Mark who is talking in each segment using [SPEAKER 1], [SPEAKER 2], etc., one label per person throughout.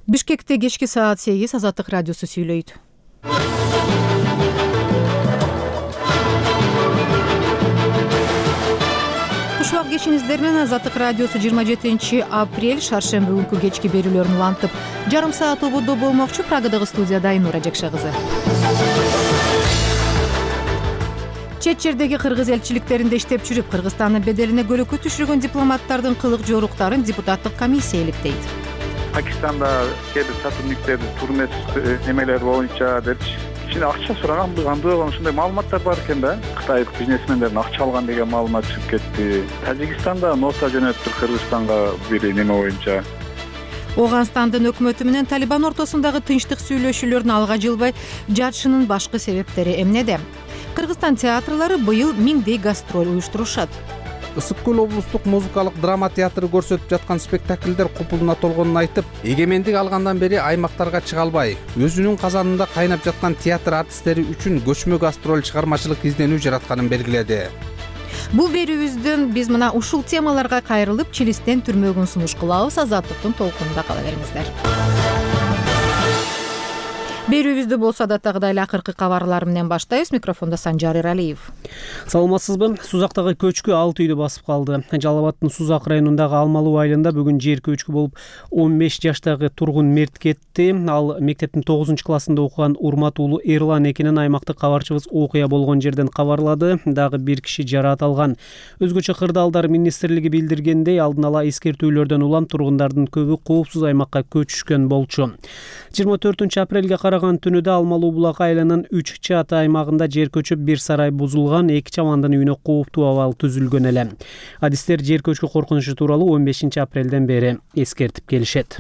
[SPEAKER 1] Бишкекте кечки саат 8 Азаттык радиосу сүйлөйт. Кушубак кешиңиздер менен Азаттык радиосу 27 апрель шаршемби күнкү кечки берүүлөрүн улантып, жарым саат ободо болмокчу. Прагадагы студияда Айнура Жакша кызы. Чет жердеги кыргыз элчиликтеринде иштеп жүрүп, Кыргызстандын беделине көлөкө түшүргөн дипломаттардын кылык жоруктарын депутаттык комиссия иликтейт.
[SPEAKER 2] Пакистанда кээ бир сотрудниктер турмес немелер боюнча деп кичине акча сураган, андый ошондой маалыматтар бар экен да. Кытайлык бизнесмендердин акча алган деген маалымат чыгып кетти. Тажикстанда нота жөнөттү Кыргызстанга бир неме боюнча.
[SPEAKER 1] Ооганстандын өкмөтү менен Талибан ортосундагы тынчтык сүйлөшүүлөрүн алга жылбай жатышынын башкы себептери эмнеде? Кыргызстан театрлары быйыл миңдей гастроль уюштурушат.
[SPEAKER 3] Ысык көл облустук музыкалык драма театры көрсөтүп жаткан спектакльдер купулуна толгонун айтып, эгемендик алгандан бери аймактарга чыга албай, өзүнүн казанында кайнап жаткан театр артисттери үчүн көчмө гастроль чыгармачылык изденүү жаратканын белгиледи.
[SPEAKER 1] Бул берүүбүздөн биз мына ушул темаларга кайрылып, Чилистен түрмөгүн сунуш кылабыз. Азаттыктын толкунунда кала бериңиздер. Берүүбүздү болсо адаттагыдай эле акыркы кабарлар менен баштайбыз. Микрофондо Санжар Эралиев.
[SPEAKER 4] Саламатсызбы? Сузактагы көчкү 6 үйдү басып калды. Жалал Абадтын Сузак районундагы Алмалуу айылында бүгүн жер көчкү болуп 15 жаштагы тургун мерт кетти. Ал мектептин 9-классында окуган Урмат уулу Эрлан экенин аймактык кабарчыбыз окуя болгон жерден кабарлады. Дагы бир киши жараат алган. Өзгөчө кырдаалдар министрлиги билдиргендей, алдын ала эскертүүлөрдөн улам тургундардын көбү коопсуз аймакка көчүшкөн болчу. 24 апрелге түнүдө Алмалуу булак айылынын 3 чат аймагында жер көчүп, бир сарай бузулган, 2 чамандын үйүнө кооптуу абал түзүлгөн эле. Адистер жер көчкү коркунучу тууралуу 15 апрелден бери эскертип келишет.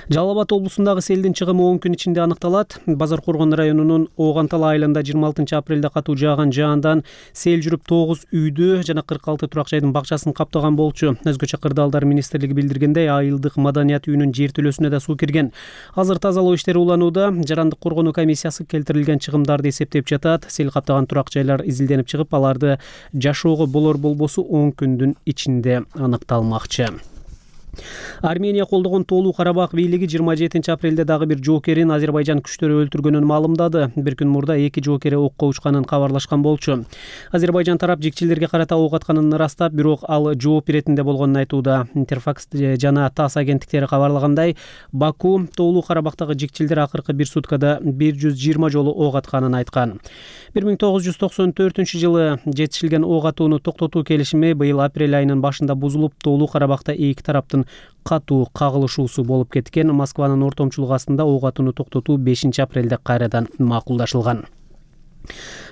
[SPEAKER 4] Жалал Абад облусундагы селдин чыгымы 10 күн ичинде аныкталат. Базар Коргон районунун Оогантал айылында 26 апрелде катуу жааган жаандан сел жүрүп 9 үйдү жана 46 турак жайдын бакчасын каптаган болчу. Өзгөчө кырдаалдар министрлиги билдиргендей, айылдык маданият үйүнүн жертөлөсүнө да суу кирген. Азыр тазалоо иштери уланууда. Жарандык коргонуу комиссиясы келтирилген чыгымдарды эсептеп жатат. Сел каптаган турак жайлар изилденип чыгып, аларды жашоого болор-болбосу 10 күндүн ичинде аныкталмакчы. Армения колдогон Тоолуу Карабак бийлиги 27 апрелде дагы бир жоокерин Азербайжан күчтөрү өлтүргөнүн маалымдады. Бир күн мурда 2 жоокери окко учканын кабарлашкан болчу. Азербайжан тарап жикчилерге карата ок атканын ырастап, бирок ал жооп беретинде болгонун айтууда. Интерфакс жана ТАСС агенттиктери кабарлагандай, Баку Тоолуу Карабактагы жикчилдер акыркы бир суткада 120 жолу ок атканын айткан. 1994 жетишилген ок атууну токтотуу келишими быйыл апрель айынын башында бузулуп, Тоолуу Карабакта эки тараптын катуу кагылышуусу болуп кеткен. Москванын ортомчулугу астында ок атууну токтотуу 5 апрелде кайрадан макулдашылган.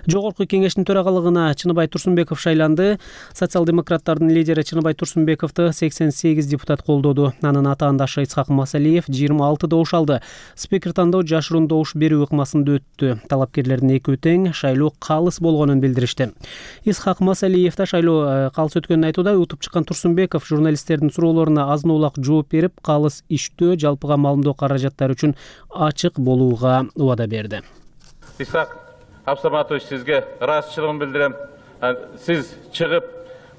[SPEAKER 4] Жогорку кеңештин төрагалыгына Чыныбай Турсунбеков шайланды. Социал-демократтардын лидери Чыныбай Турсунбековду 88 депутат колдоду. Анын атаандашы Исхак Масалиев 26 добуш алды. Спикер тандоо жашыруун добуш берүү ыкмасында өттү. Талапкерлердин экөө тең, шайлоо калыс болгонун билдиришти. Исхак Масалиев да шайлоо калыс өткөнүн айтууда. Утуп чыккан Турсунбеков журналисттердин суроолоруна азын улак жооп берип, калыс иштөө, жалпыга маалымдоо каражаттары үчүн ачык болууга убада берди.
[SPEAKER 5] Исхак Абсаматович, сизге ыраазычылыгымды билдирем. Сиз чыгып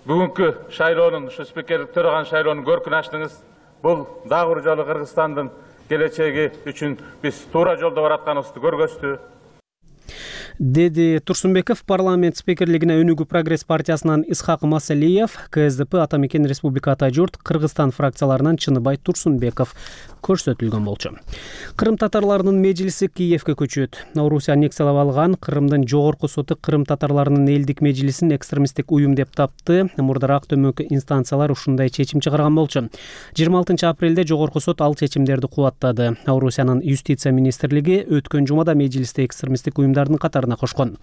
[SPEAKER 5] бүгүнкү шайлоонун, ушу спикерлик төрөган шайлоонун көркүн ачтыңыз. Бул дагы бир жолу Кыргызстандын келечеги үчүн биз туура жолдо баратканыбызды көргөздү, деди Турсунбеков. Парламент спикерлигине Өнүгүү Прогресс партиясынан Исхак Масалиев, КСДП Ата Мекен Республика Ата Журт, Кыргызстан фракцияларынан Чыныбай Турсунбеков көрсөтүлгөн болчу. Кырым татарларынын межлиси Киевке көчөт. Орусия аннексиялап алган Кырымдын жогорку соту Кырым татарларынын элдик межлисин экстремисттик уюм деп тапты. Мурдараак төмөнкү инстанциялар ушундай чечим чыгарган болчу. 26 апрелде жогорку сот ал чечимдерди кубаттады. Орусиянын юстиция министрлиги өткөн жумада межлисте экстремисттик уюмдардын катарына кошкон.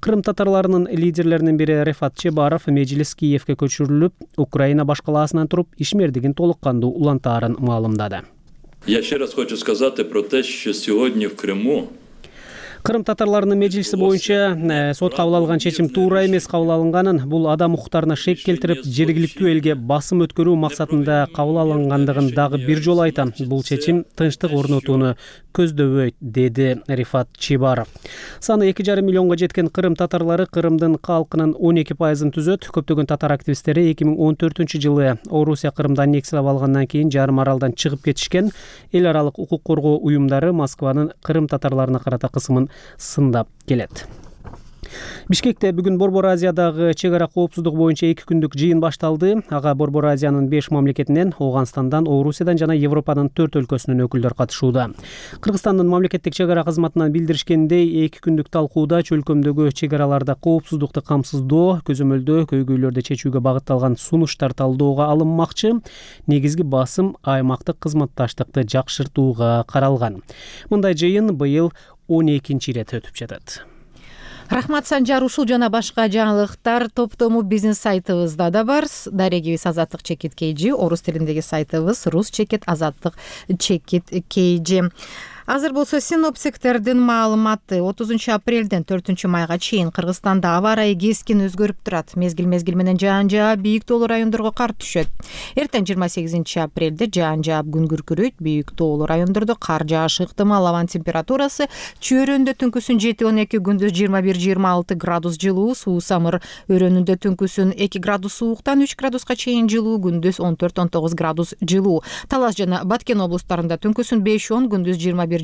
[SPEAKER 5] Кырым татарларынын лидерлеринин бири Рефат Чебаров межлис Киевке көчүрүлүп, Украина башкалаасынан туруп ишмердигин толук кандуу улантаарын маалымдады.
[SPEAKER 6] Я ще раз хочу сказати про те, що сьогодні в Криму
[SPEAKER 4] Кырым татарларынын межлиси боюнча сот кабыл алган чечим туура эмес кабыл алынганын, бул адам укуктарына шек келтирип, жергиликтүү элге басым өткөрүү максатында кабыл алынгандыгын дагы бир жолу айтам. Бул чечим тынчтык орнотууну көздөбөйт, деди Рифат Чибаров. Саны 2,5 миллионго жеткен кырым татарлары Кырымдын калкынын 12%-ын түзөт. Көптөгөн татар активисттери 2014-жылы Орусия Кырымды аннексиялап алгандан кийин жарым аралдан чыгып кетишкен. Эл аралык укук коргоо уюмдары Москванын кырым татарларына карата кысымын сындап келет. Бишкекте бүгүн Борбор Азиядагы чек ара коопсуздук боюнча 2 күндүк жыйын башталды. Ага Борбор Азиянын 5 мамлекетинен, Ооганстандан, Орусиядан жана Европанын 4 өлкөсүнүн өкүлдөрү катышууда. Кыргызстандын мамлекеттик чек ара кызматынан билдиришкендей, 2 күндүк талкууда чөлкөмдөгү чек араларда коопсуздукту камсыздоо, көзөмөлдөө, көйгөйлөрдү чечүүгө багытталган сунуштар талдоого алынмакчы. Негизги басым аймактык кызматташтыкты жакшыртууга каралган. Мындай жыйын быйыл 12-чи ирет өтүп жатат.
[SPEAKER 1] Рахмат Санжар, ушул жана башка жаңылыктар топтому бизнес сайтыбызда да бар. Дарегибиз Азаттык чекит KG, орус тилиндеги сайтыбыз Рус чекит Азаттык чекит KG. Азыр болсо синоптиктердин маалыматы 30 апрелден 4 майга чейин Кыргызстанда аба ырайы кескин өзгөрүп турат. Мезгил менен жаан жаап, бийик тоолуу райондорго кар түшөт. Эртең 28 апрелде жаан жаап, күн күркүрөйт, бийик тоолуу райондордо кар жаашы ыктымал. Абанын температурасы чөйрөндө түнкүсүн 7-12, күндүз 21-26 градус жылуу, суу самыр өрөөнүндө түнкүсүн 2 градус сууктан 3 градуска чейин жылуу, күндүз 14-19 градус жылуу. Талас жана Баткен облустарында түнкүсүн 5-10, күндүз 21-26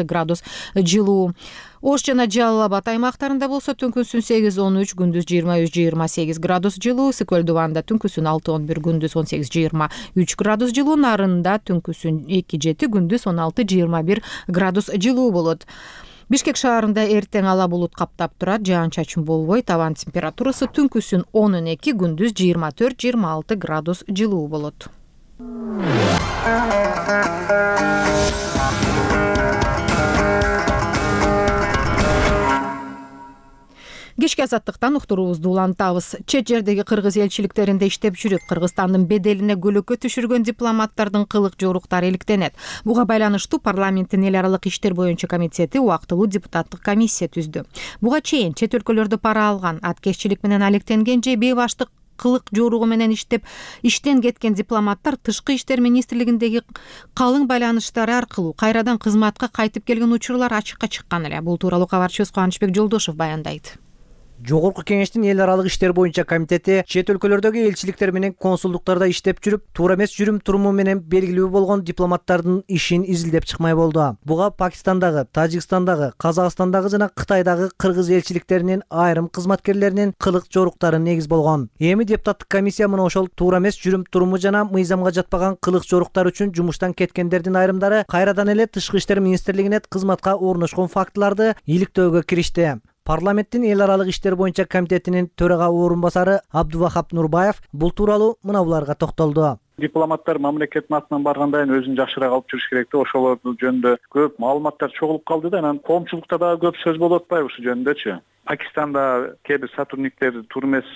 [SPEAKER 1] градус жылуу. Ош жана Жалал Абад аймактарында болсо түнкүсүн 8-13, күндүз 23-28 градус жылуу. Сыкөл Дубанда түнкүсүн 6-11, күндүз 18-23 градус жылуу. Нарында түнкүсүн 2-7, күндүз 16-21 градус жылуу болот. Бишкек шаарында эртең ала булут каптап турат, жаан-чачын болбойт. Абанын температурасы түнкүсүн 12, күндүз 24-26 градус жылуу болот. Кечки азаттыктан уктуруубузду улантабыз. Чет жердеги кыргыз элчиликтеринде иштеп жүрүп, Кыргызстандын беделине көлөкө түшүргөн дипломаттардын кылык жоруктары иликтенет. Буга байланыштуу парламенттин эл аралык иштер боюнча комитети убактылуу депутаттык комиссия түздү. Буга чейин чет өлкөлөрдө пара алган, аткезчилик менен алектенген же бейбаштык кылык жоругу менен иштен кеткен дипломаттар Тышкы иштер министрлигиндеги калың байланыштары аркылуу кайрадан кызматка кайтып келген учурлар ачыкка чыккан эле. Бул тууралуу кабарчыбыз Кубанычбек Жолдошов баяндайт.
[SPEAKER 6] Жогорку кеңештин эл аралык иштер боюнча комитети чет өлкөлөрдөгү элчиликтер менен консулдуктарда иштеп жүрүп, туура эмес жүрүм-туруму менен белгилүү болгон дипломаттардын ишин изилдеп чыкмай болду. Буга Пакистандагы, Тажикстандагы, Казакстандагы жана Кытайдагы кыргыз элчиликтеринин айрым кызматкерлеринин кылык жоруктары негиз болгон. Эми депутаттык комиссия мына ошол туура эмес жүрүм-туруму жана мыйзамга жатпаган кылык жоруктар үчүн жумуштан кеткендердин айрымдары кайрадан эле Тышкы иштер министрлигине кызматка орношкон фактыларды иликтөөгө киришти. Парламенттин эл аралык иштер боюнча комитетинин төрага орун басары Абдувахап Нурбаев бул тууралуу мына буларга токтолду.
[SPEAKER 2] Дипломаттар мамлекеттин атынан барганда өзүн жакшыраак алып жүрүш керек да. Ошолор жөнүндө көп маалыматтар чогулуп калды да. Анан коомчулукта дагы көп сөз болуп атпайбы ушул жөнүндөчү? Пакистанда кээ бир сотрудниктер туура эмес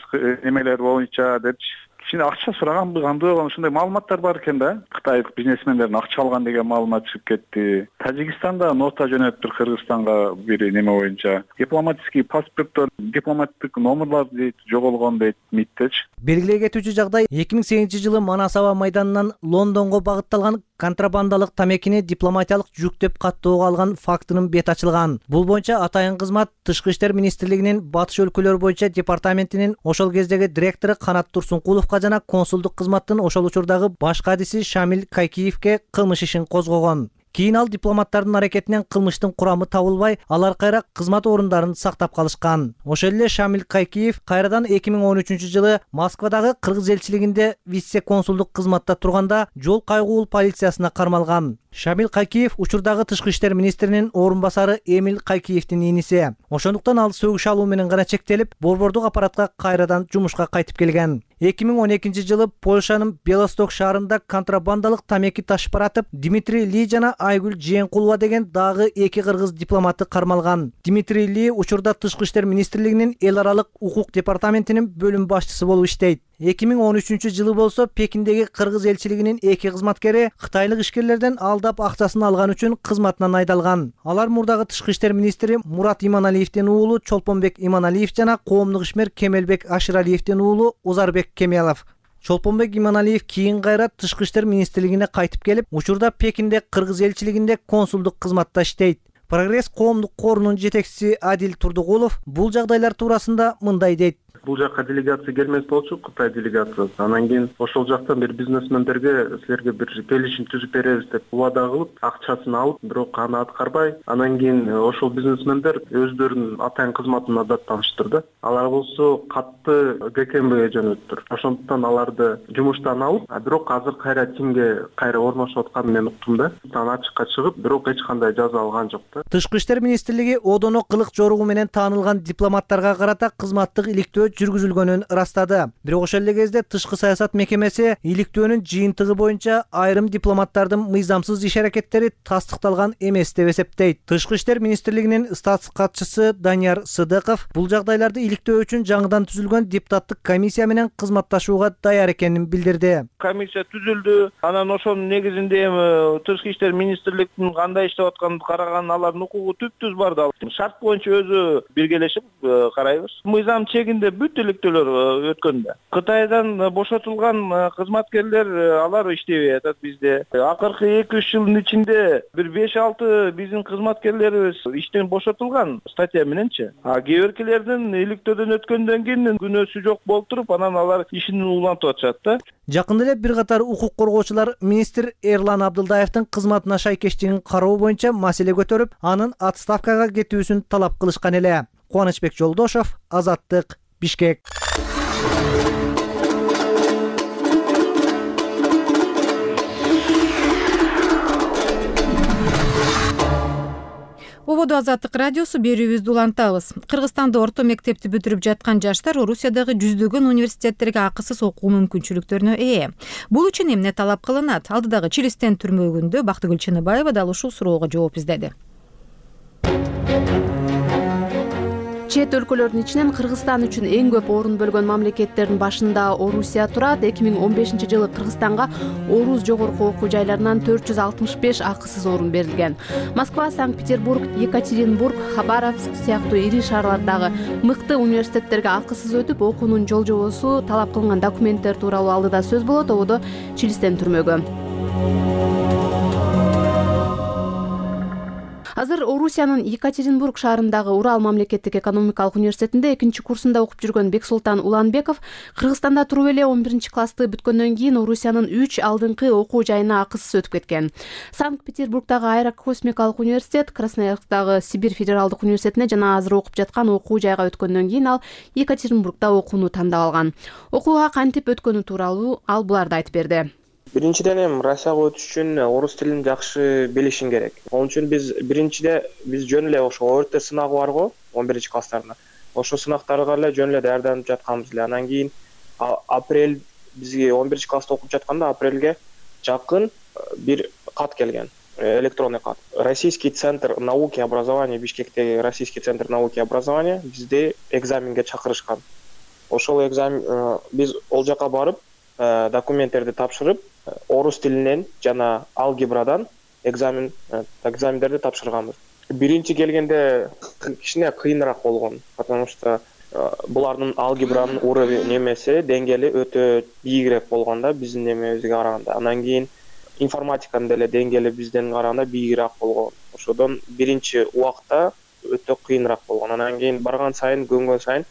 [SPEAKER 2] эмелер боюнча депчи кичине акча сураган, кандай болгон ушундай маалыматтар бар экен да. Кытайлык бизнесмендердин акча алган деген маалымат чыгып кетти. Тажикстанда нота жөнөттүр Кыргызстанга бир неме боюнча. Дипломатический паспорттор, дипломаттык номерлар дейт, жоголгон дейт МИДтечи.
[SPEAKER 6] Белгилей кетүүчү жагдай 2008-жылы Манас аба майданынан Лондонго багытталган контрабандалык тамекини дипломатиялык жүк деп каттоого алган фактынын бет ачылган. Бул боюнча атайын кызмат Тышкы иштер министрлигинин батыш өлкөлөр боюнча департаментинин ошол кездеги директору Канат Турсункуловго жана консулдук кызматтын ошол учурдагы баш кадиси Шамил Кайкиевке кылмыш ишин козгогон. Кийин ал дипломаттардын аракетинен кылмыштын курамы табылбай, алар кайра кызмат орундарын сактап калышкан. Ошол эле Шамил Кайкиев кайрадан 2013-жылы Москвадагы кыргыз элчилигинде вице-консулдук кызматта турганда жол кайгуул полициясына кармалган. Шамил Кайкиев учурдагы Тышкы иштер министринин орун басары Эмил Кайкиевдин иниси. Ошондуктан ал сөгүш алуу менен гана чектелип, борбордук аппаратка кайрадан жумушка кайтып келген. 2012-жылы Польшанын Белосток шаарында контрабандалык тамеки ташып баратып, Дмитрий Ли жана Айгүл Жээнкулова деген дагы 2 кыргыз дипломаты кармалган. Дмитрий Ли учурда Тышкы иштер министрлигинин эл аралык укук департаментинин бөлүм башчысы болуп иштейт. 2013 жылы болсо Пекиндеги кыргыз элчилигинин 2 кызматкери кытайлык ишкерлерден алдап акчасын алган үчүн кызматынан айдалган. Алар мурдагы тышкы иштер министри Мурат Иманалиевдин уулу Чолпонбек Иманалиев жана коомдук ишмер Кемелбек Аширалиевдин уулу Узарбек Кемелов. Чолпонбек Иманалиев кийин кайра тышкы иштер министрлигине кайтып келип, учурда Пекинде кыргыз элчилигинде консулдук кызматта иштейт. Прогресс коомдук корунун жетекчиси Адил Турдугулов бул жагдайлар туурасында мындай дейт.
[SPEAKER 7] Бул жакка делегация келмес болчу, Кытай делегациясы. Анан кийин ошол жактан бир бизнесмендерге силерге бир келишим түзүп беребиз деп убада кылып, акчасын алып, бирок аны аткарбай, анан кийин ошол бизнесмендер өздөрүнүн атайын кызматына даттаныштыр. Алар болсо катты ГКМБге жөнөттүр. Ошондуктан аларды жумуштан алып, бирок азыр кайра тимге кайра орношуп атканын мен уктум да. Анан ачыкка чыгып, бирок эч кандай жаза алган жок да.
[SPEAKER 6] Тышкы иштер министрлиги одоно кылык жоругу менен таанылган дипломаттарга карата кызматтык иликтөө жүргүзүлгөнүн ырастады. Бирок ошол эле кезде тышкы саясат мекемеси иликтөөнүн жыйынтыгы боюнча айрым дипломаттардын мыйзамсыз иш аракеттери тастыкталган эмес деп эсептейт. Тышкы иштер министрлигинин статс катчысы Данияр Сыдыков бул жагдайларды иликтөө үчүн жаңыдан түзүлгөн депутаттык комиссия менен кызматташууга даяр экенин билдирди.
[SPEAKER 8] Комиссия түзүлдү. Анан ошонун негизинде эми тышкы иштер министрлигинин кандай иштеп атканын караган алардын укугу түп-түз бар да. Шарт боюнча өзү биргелешип карайбыз. Мыйзам чегинде бүт иликтөөлөр өткөндө. Кытайдан бошотулган кызматкерлер алар иштебей атат бизде. Акыркы 2-3 жылдын ичинде бир 5-6 биздин кызматкерлерибиз иштен бошотулган статья мененчи. Кээ биркилердин иликтөөдөн өткөндөн кийин күнөөсү жок болуп туруп, анан алар ишин улантып атышат да.
[SPEAKER 6] Жакында эле бир катар укук коргоочулар министр Эрлан Абдылдаевдин кызматына шайкештигин кароо боюнча маселе көтөрүп, анын отставкага кетүүсүн талап кылышкан эле. Кубанычбек Жолдошов, Азаттык, Бишкек.
[SPEAKER 1] Ободо Азаттык радиосу берүүбүздү улантабыз. Кыргызстанда орто мектепти бүтүрүп жаткан жаштар Орусиядагы жүздөгөн университеттерге акысыз окуу мүмкүнчүлүктөрүнө ээ. Бул үчүн эмне талап кылынат? Алдыдагы Чилистен түрмөгүндө Бактыгүл Чыныбаева дал ушул суроого жооп издеди.
[SPEAKER 9] Чет өлкөлөрдүн ичинен Кыргызстан үчүн эң көп орун бөлгөн мамлекеттердин башында Орусия турат. 2015 жылы Кыргызстанга Орус жогорку окуу жайларынан 465 акысыз орун берилген. Москва, Санкт-Петербург, Екатеринбург, Хабаровск сыяктуу ири шаарлардагы мыкты университеттерге акысыз өтүп, окуунун жол-жобосу, талап кылынган документтер тууралуу алдыда сөз болот. Ободо Чилистен түрмөгү. Азыр Орусиянын Екатеринбург шаарындагы Урал мамлекеттик экономикалык университетинде 2-чи курсунда окуп жүргөн Бексултан Уланбеков Кыргызстанда туруп эле 11-чи классты бүткөндөн кийин Орусиянын 3 алдыңкы окуу жайына акысыз өтүп кеткен. Санкт-Петербургдагы Аэрокосмикалык университет, Красноярсктагы Сибирь федералдык университетине жана азыр окуп жаткан окуу жайга өткөндөн кийин ал Екатеринбургда окууну тандап алган. Окууга кантип өткөнү тууралуу ал буларды айтып берди.
[SPEAKER 10] Биринчиден эми Россияга өтүш үчүн орус тилин жакшы билишиң керек. Onun үчүн биз жөн эле ошо ОРТ сынагы бар го 11-чи класстарына. Ошо сынактарга эле жөн эле даярданып жатканбыз эле. Анан кийин апрель бизге 11-чи класста окуп жатканда апрелге жакын бир кат келген. Электронный кат. Российский центр науки и образования, Бишкектеги Российский центр науки и образования бизди экзаменге чакырышкан. Ошол экзамен биз ол жака барып документтерди тапшырып, орус тилинен жана алгебрадан экзамендерди тапшырганбыз. Биринчи келгенде кичине кыйыныраак болгон, потому что булардын алгебранын уровень немеси, деңгээли өтө бийигирээк болгондо биздин немебизге караганда. Анан кийин информатиканын деле деңгээли бизден караганда бийигирээк болгон. Ошодон биринчи убакта өтө кыйыныраак болгон. Анан кийин барган сайын, көнгөн сайын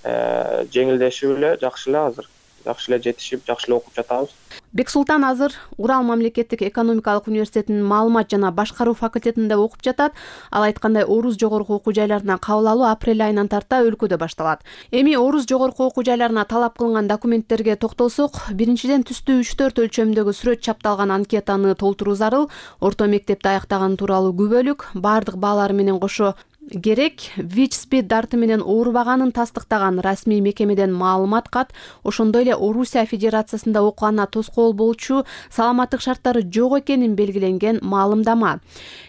[SPEAKER 10] жеңилдешип эле, жакшы эле азыр. Жакшы эле жетишип, жакшы эле окуп жатабыз.
[SPEAKER 9] Бексултан азыр Урал мамлекеттик экономикалык университетинин маалымат жана башкаруу факультетинде окуп жатат. Ал айткандай, орус жогорку окуу жайларына кабыл алуу апрель айынан тарта өлкөдө башталат. Эми орус жогорку окуу жайларына талап кылынган документтерге токтолсок, биринчиден түстүү 3-4 өлчөмдөгү сүрөт чапталган анкетаны толтуруу зарыл. Орто мектепти аяктаган тууралуу күбөлүк, баардык баалары менен кошо керек. ВИЧ/СПИД дарты менен оорубаганын тастыктаган расмий мекемеден маалымат кат, ошондой эле Орусия Федерациясында окугана тоскоол болчу саламаттык шарттары жок экенин белгиленген маалымдама.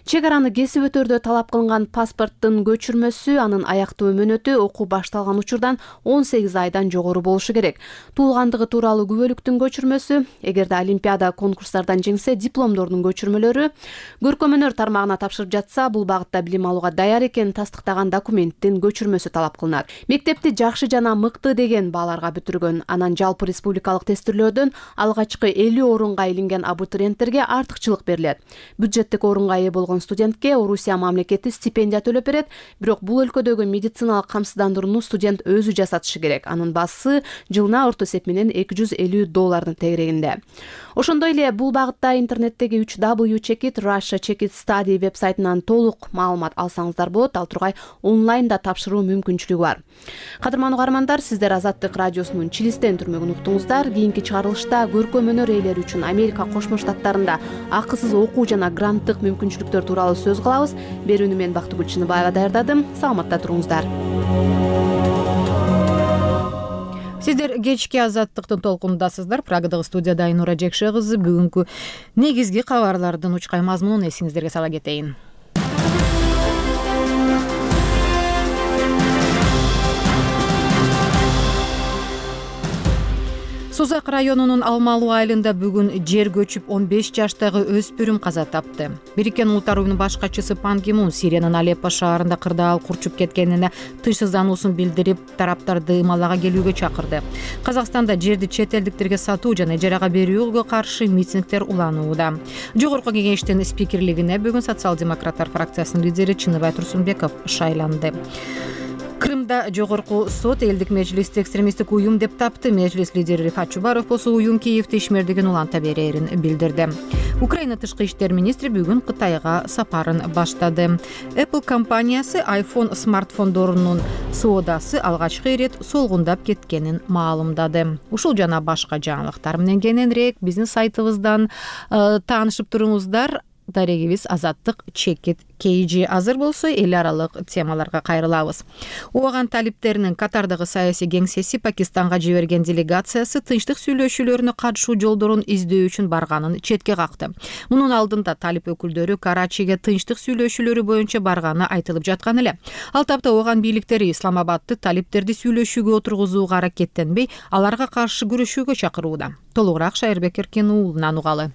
[SPEAKER 9] Чек араны кесип өтөрдө талап кылынган паспорттун көчүрмөсү, анын аяктуу мөөнөтү окуу башталган учурдан 18 айдан жогору болушу керек. Туулгандыгы тууралуу күбөлүктүн көчүрмөсү, эгерде олимпиада конкурстардан жеңсе дипломдордун көчүрмөлөрү, көркөм-өнөр тармагына тапшырып жатса, бул багытта билим алууга даяр экенин тастыктаган документтин көчүрмөсү талап кылынат. Мектепти жакшы жана мыкты деген бааларга бүтүргөн, анан жалпы республикалык тестирлөөдөн алгачкы 50 орунга илинген абитуриенттерге артыкчылык берилет. Бюджеттик орунга ээ болгон студентке Орусия мамлекети стипендия төлөп берет, бирок бул өлкөдөгү медициналык камсыздандырууну студент өзү жасатышы керек. Анын баасы жылына орто эсеп менен $250 тегерегинде. Ошондой эле бул багытта интернеттеги 3W Check It Russia Check It Study вебсайтынан толук маалымат алсаңыздар болот. Ал тургай онлайнда тапшыруу мүмкүнчүлүгү бар. Кадырман угармандар, сиздер Азаттык радиосунун Чилистен түрмөгүн уктуңуздар. Кийинки чыгарылышта көркөм-өнөр ээлери үчүн Америка Кошмо Штаттарында акысыз окуу жана гранттык мүмкүнчүлүктөр тууралуу сөз кылабыз. Берүүнү мен Бактыгүл Чыныбаева даярдадым. Саламатта туруңуздар.
[SPEAKER 1] Сиздер кечки Азаттыктын толкунундасыздар. Прагадагы студияда Айнура Жекше кызы. Бүгүнкү негизги кабарлардын учкай мазмунун эсиңиздерге сала кетейин. Сузак районунун Алмалуу айылында бүгүн жер көчүп 15 жаштагы өспүрүм каза тапты. Бириккен Улуттар уюмунун башкачысы Пан Ги Мун Сириянын Алеппо шаарында кырдаал курчуп кеткенине тынчсыздануусун билдирип, тараптарды ымалага келүүгө чакырды. Казакстанда жерди чет элдиктерге сатуу жана ижарага берүүгө каршы митингдер уланууда. Жогорку кеңештин спикерлигине бүгүн социал-демократтар фракциясынын лидери Чыныбай Турсунбеков шайланды. Крымда жогорку сот элдик межлисти экстремисттик уюм деп тапты. Межлис лидери Рифат Чубаров болсо уюм Киевде ишмердигин уланта берерин билдирди. Украина тышкы иштер министри бүгүн Кытайга сапарын баштады. Apple компаниясы iPhone смартфондорунун соодасы алгачкы ирет солгундап кеткенин маалымдады. Ушул жана башка жаңылыктар менен кененирээк биздин сайтыбыздан таанышып туруңуздар. Дарегибиз Азаттык Check It KG азыр болсо эл аралык темаларга кайрылабыз. ООН талиптеринин Катардагы саясий кеңсеси Пакистанга жиберген делегациясы тынчтык сүйлөшүүлөрүнө катышуу жолдорун издөө үчүн барганын четке какты. Мунун алдында талип өкүлдөрү Карачиге тынчтык сүйлөшүүлөрү боюнча барганы айтылып жаткан эле. Ал тапта ООН бийликтери Исламабадты талиптерди сүйлөшүүгө отургузууга аракеттенбей, аларга каршы күрөшүүгө чакырууда. Толугураак Шайырбек Эркин уулунан угалы.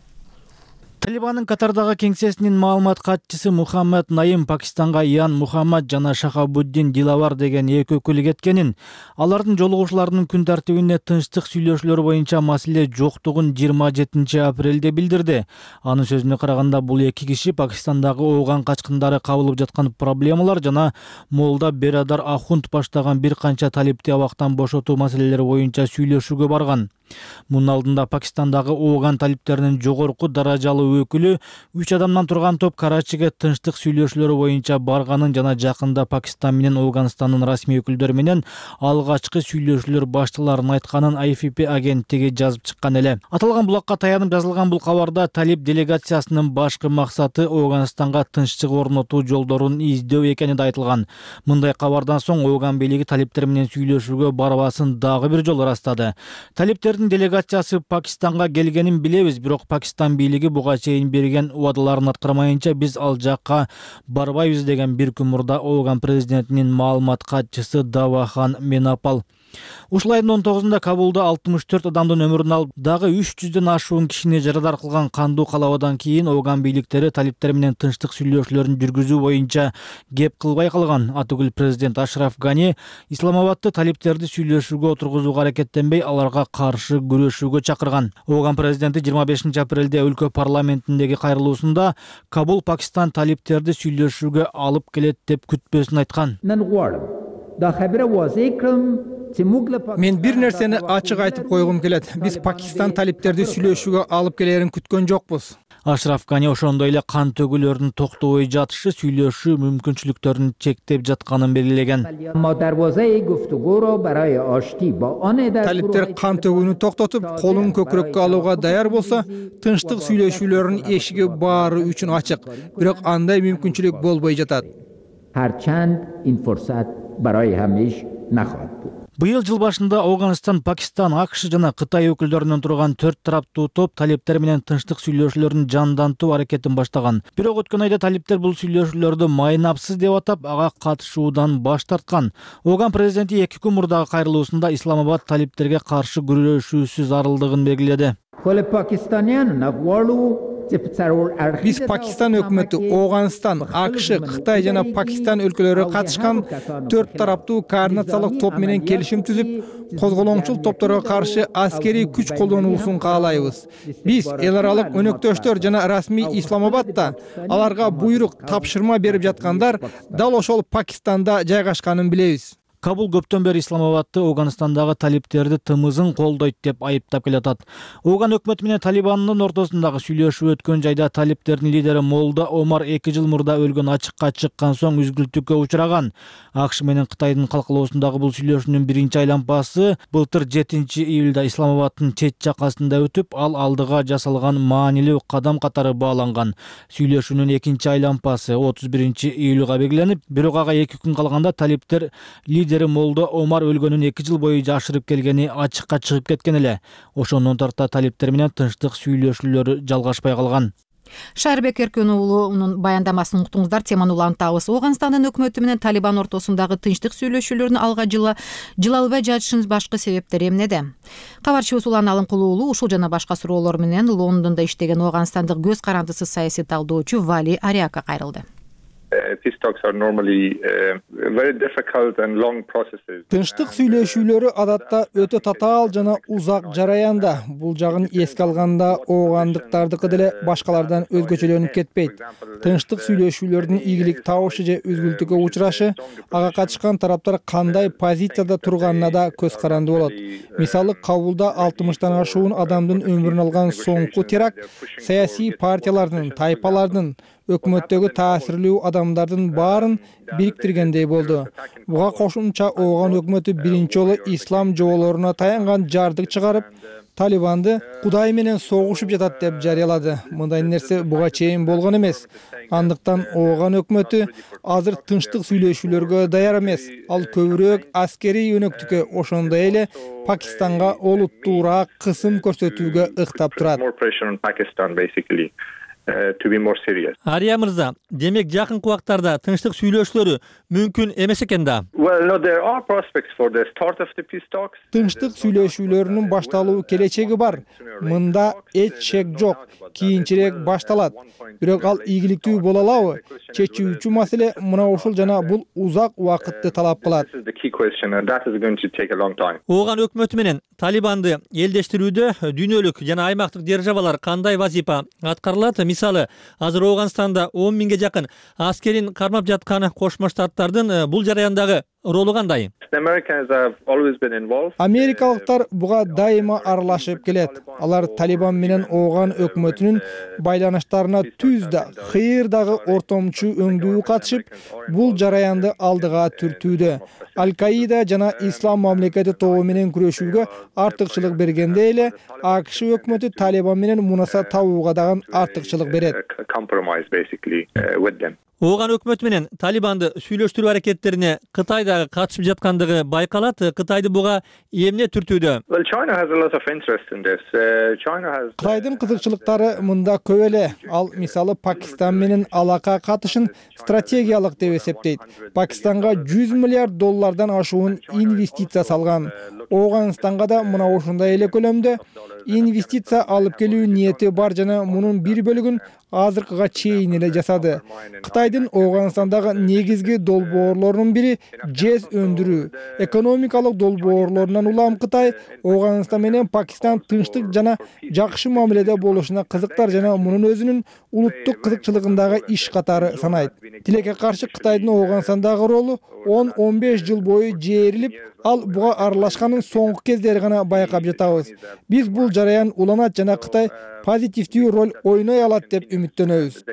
[SPEAKER 11] Талибандын Катардагы кеңсесинин маалымат катчысы Мухаммад Наим Пакистанга Ян Мухаммад жана Шахабуддин Дилавар деген эки өкүл кеткенин, алардын жолугушууларынын күн тартибине тынчтык сүйлөшүүлөр боюнча маселе жоктугун 27 апрелде билдирди. Анын сөзүнө караганда, бул эки киши Пакистандагы ооган качкындары кабылып жаткан проблемалар жана Молда Берадар Ахунд баштаган бир канча талипти абактан бошотуу маселелери боюнча сүйлөшүүгө барган. Мунун алдында Пакистандагы ооган талиптеринин жогорку даражалуу өкүлү 3 адамдан турган топ Карачиге тынчтык сүйлөшүүлөрү боюнча барганын жана жакында Пакистан менен Афганистандын расмий өкүлдөрү менен алгачкы сүйлөшүүлөр башталарын айтканын AFP агенттиги жазып чыккан эле. Аталган булакка таянып жазылган бул кабарда талип делегациясынын башкы максаты Афганистанга тынччылык орнотуу жолдорун издөө экени да айтылган. Мындай кабардан соң Афган бийлиги талиптер менен сүйлөшүүгө барбасын дагы бир жолу ырастады. Талиптердин делегациясы Пакистанга келгенин билебиз, бирок Пакистан бийлиги буга чейин берген убадаларын аткармайынча биз ал жакка барбайбыз деген бир күн мурда Афган президентинин маалымат катчысы Давахан Менапал. Ушул айдын 19-нда Кабулда 64 адамдын өмүрүн алып, дагы 300дөн ашуун кишини жарадар кылган кандуу калабадан кийин Афган бийликтери талиптер менен тынчтык сүйлөшүүлөрүн жүргүзүү боюнча кеп кылбай калган. Атүгүл президент Ашраф Гани Исламабадты талиптерди сүйлөшүүгө отургузууга аракеттенбей, аларга каршы күрөшүүгө чакырган. Афган президенти 25 апрелде өлкө парламентиндеги кайрылуусунда Кабул Пакистан талиптерди сүйлөшүүгө алып келет деп күтпөсүн айткан.
[SPEAKER 12] Мен бир нерсени ачык айтып койгум келет. Биз Пакистан талиптерди сүйлөшүүгө алып келерин күткөн жокпуз.
[SPEAKER 11] Ашраф Гани ошондой эле кан төгүүлөрдүн токтобой жатышы сүйлөшүү мүмкүнчүлүктөрүн чектеп жатканын белгилеген.
[SPEAKER 12] Талиптер кан төгүүнү токтотуп, колун көкүрөккө алууга даяр болсо, тынчтык сүйлөшүүлөрдүн эшиги баары үчүн ачык. Бирок андай мүмкүнчүлүк болбой жатат.
[SPEAKER 13] هرچند این فرصت برای همیشه نخواهد بود.
[SPEAKER 11] Быйыл жыл башында Афганистан, Пакистан, АКШ жана Кытай өкүлдөрүнөн турган 4 тараптуу топ талиптер менен тынчтык сүйлөшүүлөрүн жандантуу аракетин баштаган. Бирок өткөн айда талиптер бул сүйлөшүүлөрдү майнапсыз деп атап, ага катышуудан баш тарткан. Афган президенти 2 күн мурдагы кайрылуусунда Исламабад талиптерге каршы күрөшүүсүз арылдыгын белгиледи.
[SPEAKER 12] Биз Пакистан өкмөтү, Афганистан, АКШ, Кытай жана Пакистан өлкөлөрү катышкан 4 тараптуу координациялык топ менен келишим түзүп, козголоңчул топторго каршы аскерий күч колдонуусун каалайбыз. Биз эл аралык өнөктөштөр жана расмий Исламабадда аларга буйрук, тапшырма берип жаткандар дал ошол Пакистанда жайгашканын билебиз.
[SPEAKER 11] Кабул көптөн бери Исламабадты Афганистандагы талиптерди тымызын колдойт деп айыптап келатат. Афган өкмөтү менен Талибандын ортосундагы сүйлөшүү өткөн жайда талиптердин лидери Молда Омар 2 жыл мурда өлгөн ачыкка чыккан соң үзгүлтүккө учураган. АКШ менен Кытайдын калкалоосундагы бул сүйлөшүүнүн биринчи айлампасы былтыр 7-июлда Исламабаддын чет жакасында өтүп, ал алдыга жасалган маанилүү кадам катары бааланган. Сүйлөшүүнүн экинчи айлампасы 31-июлга белгиленип, бирок ага 2 күн калганда талиптер лидери Молда Омар өлгөнүн 2 жыл бою жашырып келгени ачыкка чыгып кеткен эле. Ошондон тарта талиптер менен тынчтык сүйлөшүүлөрү жалгашпай калган.
[SPEAKER 1] Шарбек Эркөн уулунун баяндамасын уктуңуздар. Теманы улантабыз. Афганистандын өкмөтү менен Талибан ортосундагы тынчтык сүйлөшүүлөрүн алга жыла албай жатышынын башкы себептери эмнеде? Кабарчыбыз Улан Алымкулуу уулу ушул жана башка суроолор менен Лондондо иштеген афганстандык көз карандысыз саясий талдоочу Вали Ариакка кайрылды.
[SPEAKER 14] Peace talks are normally very difficult and long processes.
[SPEAKER 12] Тынчтык сүйлөшүүлөрү адатта өтө татаал жана узак жараянда. Бул жагын эске алганда оогандыктардыкы деле башкалардан өзгөчөлөнүп кетпейт. Тынчтык сүйлөшүүлөрдүн ийгилик табышы же үзгүлтүккө учурашы ага катышкан тараптар кандай позицияда турганына да көз каранды болот. Мисалы, Кабулда 60тан ашуун адамдын өмүрүн алган соңку теракт саясий партиялардын, тайпалардын, өкмөттөгү таасирлүү адамдардын баарын бириктиргендей болду. Буга кошумча Афган өкмөтү биринчи жолу ислам жоболоруна таянган жардык чыгарып, Талибанды Кудай менен согушуп жатат деп жарыялады. Мындай нерсе буга чейин болгон эмес. Андыктан Афган өкмөтү азыр тынчтык сүйлөшүүлөргө даяр эмес. Ал көбүрөөк аскерий өнөктүккө, ошондой эле Пакистанга олуттуураак кысым көрсөтүүгө ыктап турат.
[SPEAKER 14] To be more serious.
[SPEAKER 15] Ария мырза, демек жакынкы убактарда тынчтык сүйлөшүүлөрү мүмкүн эмес экен да.
[SPEAKER 14] Well, no, there are prospects for the start of the peace talks.
[SPEAKER 12] Тынчтык сүйлөшүүлөрүнүн башталуу келечеги бар. Мында эч шек жок. Кийинчерээк башталат. Бирок ал ийгиликтүү боло алабы? Чечүүчү маселе мына ушул жана бул узак убакытты талап кылат.
[SPEAKER 15] Афган өкмөтү менен Талибанды элдештирүүдө дүйнөлүк жана аймактык державалар кандай вазифа аткарылат? Мисалы, азыр Афганстанда 10 миңге жакын аскерин кармап жаткан Кошмо Штаттардын бул жараяндагы ролу кандай?
[SPEAKER 12] Америкалыктар буга дайыма аралашып келет. Алар Талибан менен Афган өкмөтүнүн байланыштарына түз да, кыйыр дагы ортомчу өңдүү катышып, бул жараянды алдыга түртүүдө. Аль-Каида жана Ислам мамлекети тобу менен күрөшүүгө артыкчылык бергенде эле, АКШ өкмөтү Талибан менен мунаса табууга дагы артыкчылык берет.
[SPEAKER 15] Афган өкмөтү менен Талибанды сүйлөштүрүү аракеттерине Кытай дагы катышып жаткандыгы байкалат. Кытайды буга эмне түртүүдө?
[SPEAKER 12] Кытайдын кызыкчылыктары мында көп эле. Ал мисалы Пакистан менен алака катышын стратегиялык деп эсептейт. Пакистанга 100 миллиард доллардан ашуун инвестиция салган. Афганистанга да мына ушундай эле көлөмдө инвестиция алып келүү ниети бар жана мунун бир бөлүгүн азыркыга чейин эле жасады. Кытайдын Афганистандагы негизги долбоорлорунун бири жез өндүрүү. Экономикалык долбоорлорунан улам Кытай Афганистан менен Пакистан тынчтык жана жакшы мамиледе болушуна кызыктар жана мунун өзүнүн улуттук кызыкчылыгындагы иш катары санайт. Тилекке каршы Кытайдын Афганистандагы ролу 10-15 жыл бою жээрилип, ал буга аралашканын соңку кездери гана байкап жатабыз. Биз бул жараян уланат жана Кытай позитивдүү роль ойной алат деп үмүттөнөбүз.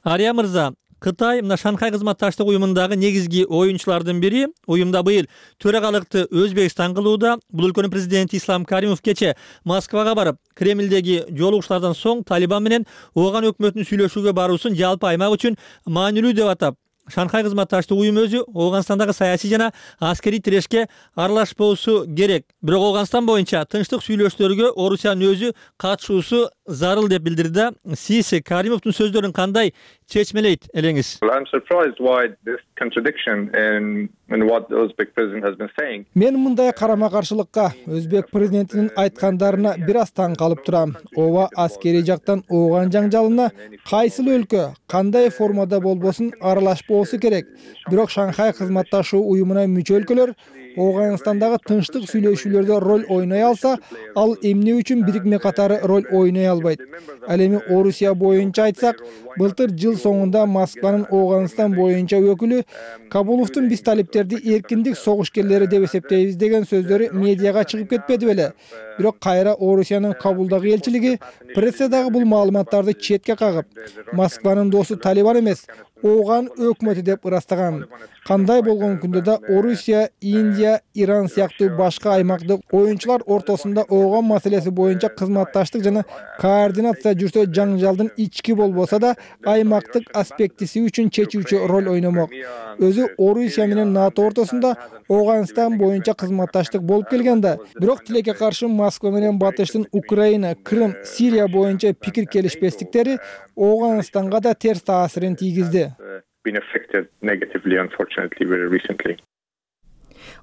[SPEAKER 15] Ария мырза, Кытай мына Шанхай кызматташтык уюмундагы негизги оюнчулардын бири. Уюмда быйыл төрагалыкты Өзбекстан кылууда. Бул өлкөнүн президенти Ислам Каримов кече Москвага барып, Кремлдеги жолугушуулардан соң Талибан менен Ооган өкмөтүнүн сүйлөшүүгө баруусун жалпы аймак үчүн маанилүү деп атап, Шанхай кызматташтык уюму өзү Ооганстандагы саясий жана аскерий тирешке аралашпоосу керек. Бирок Ооганстан боюнча тынчтык сүйлөшүүлөргө Орусиянын өзү катышуусу зарыл деп билдирди. Сиз Каримовдун сөздөрүн кандай чечмелейт элеңиз?
[SPEAKER 14] I'm surprised why this contradiction in what the Uzbek president has been saying.
[SPEAKER 12] Мен мындай карама-каршылыкка Өзбек президентинин айткандарына бир аз таң калып турам. Ооба аскерий жактан Ооган жаңжалына кайсыл өлкө кандай формада болбосун аралашпоосу керек. Бирок Шанхай кызматташуу уюмуна мүчө өлкөлөр Ооганстандагы тынчтык сүйлөшүүлөрдө роль ойной алса, ал эмне үчүн бирикме катары роль ойной албайт? Ал эми Орусия боюнча айтсак, былтыр жыл соңунда Москванын Ооганстан боюнча өкүлү Кабуловдун биз талиптерди эркиндик согушкерлери деп эсептейбиз деген сөздөрү медиага чыгып кетпеди беле? Бирок кайра Орусиянын Кабулдагы элчилиги прессадагы бул маалыматтарды четке кагып, Москванын досу Талибан эмес, Ооган өкмөтү деп ырастаган. Кандай болгон күндө да Орусия, Индия, Иран сыяктуу башка аймактык оюнчулар ортосунда Ооган маселеси боюнча кызматташтык жана координация жүрсө, жаңжалдын ички болбосо да аймактык аспектиси үчүн чечүүчү роль ойномок. Өзү Орусия менен НАТО ортосунда Ооганстан боюнча кызматташтык болуп келген да. Бирок тилекке каршы Москва менен Батыштын Украина, Крым, Сирия боюнча пикир келишпестиктери Ооганстанга да терс таасирин тийгизди.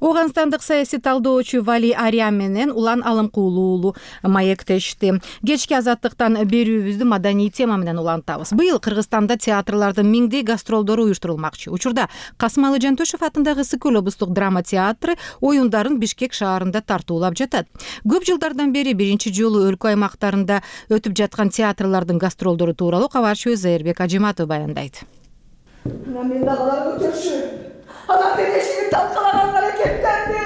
[SPEAKER 1] Ооганстандык саясий талдоочу Вали Ариан менен Улан Алымкулуу уулу маектешти. Кечки азаттыктан берүүбүздү маданий тема менен улантабыз. Быйыл Кыргызстанда театрлардын миңдей гастролдору уюштурулмакчы. Учурда Касымалы Жантөшев атындагы Ысык-Көл облустук драма театры оюндарын Бишкек шаарында тартуулап жатат. Көп жылдардан бери биринчи жолу өлкө аймактарында өтүп жаткан театрлардын гастролдору тууралуу кабарчыбыз Зайырбек Ажиматов баяндайт.
[SPEAKER 16] Адам берешini талкалаган аракеттерди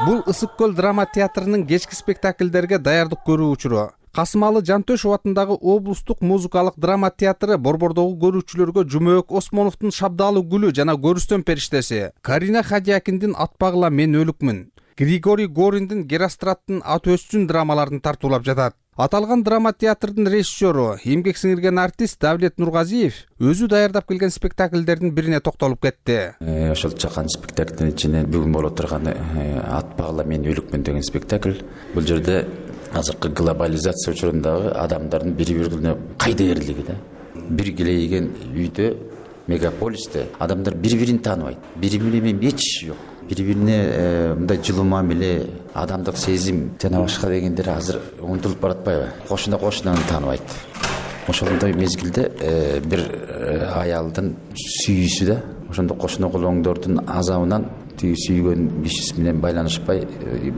[SPEAKER 3] Бул Ысык-Көл драма театрынын кечки спектакльдерге даярдык көрүү учуру. Касымалы Жантөшев атындагы облустук музыкалык драма театры борбордогу көрүүчүлөргө Жумөөк Осмоновдун Шабдалы гүлү жана Көрүстөн периштеси, Карина Хадиякиндин Атпагыла мен өлүкмүн, Григорий Гориндин Геростраттын Ат өссүн драмаларын тартуулап жатат. Аталган драма театрдын режиссеру, эмгек сиңирген артист Давлет Нургазиев өзү даярдап келген спектакльдердин бирине токтолуп кетти.
[SPEAKER 17] Ошол чакан спектакльдин ичинен бүгүн болуп турган Атпагыла мен өлүкмүн деген спектакль. Бул жерде азыркы глобализация учурундагы адамдардын бири-бирине кайдыерлиги да. Бир келейген үйдө, мегаполисте адамдар бири-бирин тааныбайт. Бири-бири менен эч жок. Бири-бирине мындай жылуу мамиле, адамдык сезим жана башка дегендер азыр унутулуп баратпайбы? Кошуна тааныбайт. Ошондой мезгилде бир аялдын сүйүүсү да, ошондо кошуна колоңдордун азабынан тиги сүйгөн кишиси менен байланышпай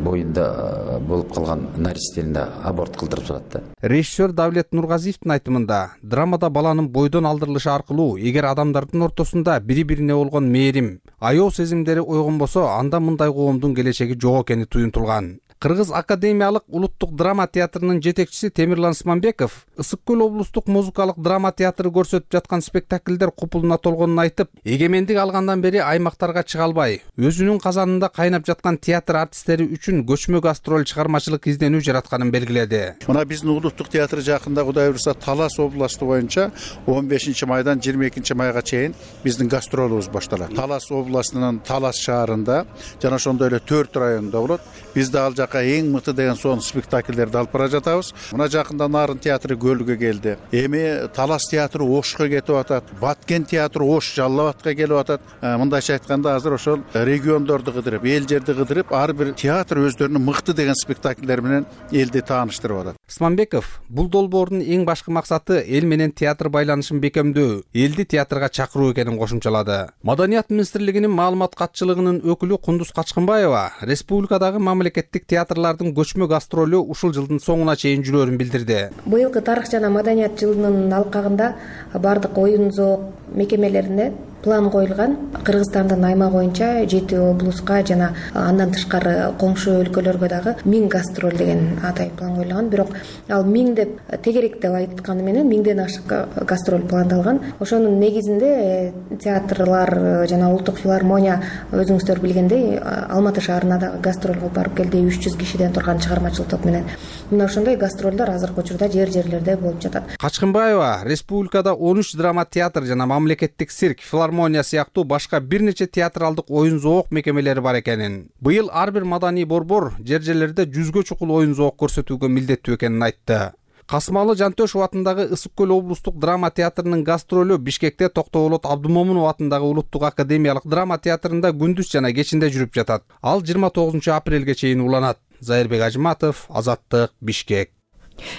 [SPEAKER 17] боюнда болуп калган наристени аборт кылдырып салат да.
[SPEAKER 3] Режиссер Давлет Нургазиевдин айтымында, драмада баланын бойдон алдырылышы аркылуу эгер адамдардын ортосунда бири-бирине болгон мээрим, аяоо сезимдери ойгонбосо, анда мындай коомдун келечеги жок экени туюнтулган. Кыргыз академиялык улуттук драма театрынын жетекчиси Темирлан Смамбеков Ысык-Көл облустук музыкалык драма театры көрсөтүп жаткан спектакльдер купулуна толгонун айтып, эгемендик алгандан бери аймактарга чыга албай, өзүнүн казанында кайнап жаткан театр артисттери үчүн көчмө гастроль чыгармачылык изденүү жаратканын белгиледи.
[SPEAKER 18] Мына биздин улуттук театр жакында Кудай буйруса Талас областу боюнча 15-майдан 22-майга чейин биздин гастролубуз башталат. Талас областынын Талас шаарында жана ошондой эле 4 районунда болот. Биз да ал жака эң мыкты деген сон спектакльдерди алып бара жатабыз. Мына жакында Нарын театры Көлгө келди. Эми Талас театры Ошко кетип атат. Баткен театры Ош Жалал Абадка келип атат. Мындайча айтканда азыр ошол региондорду кыдырып, эл жерди кыдырып, ар бир театр өздөрүнүн мыкты деген спектакльдер менен элди тааныштырып атат.
[SPEAKER 3] Смамбеков бул долбоордун эң башкы максаты эл менен театр байланышын бекемдөө, элди театрга чакыруу экенин кошумчалады. Маданият министрлигинин маалымат катчылыгынын өкүлү Кундуз Качкынбаева республикадагы мамлекеттик театрлардын көчмө гастролу ушул жылдын соңуна чейин жүрөөрүн билдирди.
[SPEAKER 19] Быйылкы тарых жана маданият жылынын алкагында бардык оюн зоок мекемелерине план коюлган. Кыргызстандын аймагы боюнча 7 облуска жана андан тышкары коңшу өлкөлөргө дагы 1000 гастроль деген атай план коюлган. Бирок ал 1000 деп тегерек деп айтканы менен 1000ден ашык гастроль пландалган. Ошонун негизинде театрлар жана улуттук филармония өзүңүздөр билгендей Алматы шаарына дагы гастроль кылып барып келди 300 кишиден турган чыгармачылык топ менен. Мына ошондой гастролдор азыркы учурда жерлерде болуп жатат.
[SPEAKER 3] Качкынбаева республикада 13 драма театр жана мамлекеттик цирк, филармония сыяктуу башка бир нече театралдык оюн зоок мекемелери бар экенин, быйыл ар бир маданий борбор жерлерде 100гө чукул оюн зоок көрсөтүүгө милдеттүү экенин айтты. Касымалы Жантөшев атындагы Ысык көл облустук драма театрынын гастролу Бишкекте Токтоболот Абдымомунов атындагы Улуттук академиялык драма театрында күндүз жана кечинде жүрүп жатат. Ал 29 апрелге чейин уланат. Зайырбек Ажыматов, Азаттык, Бишкек.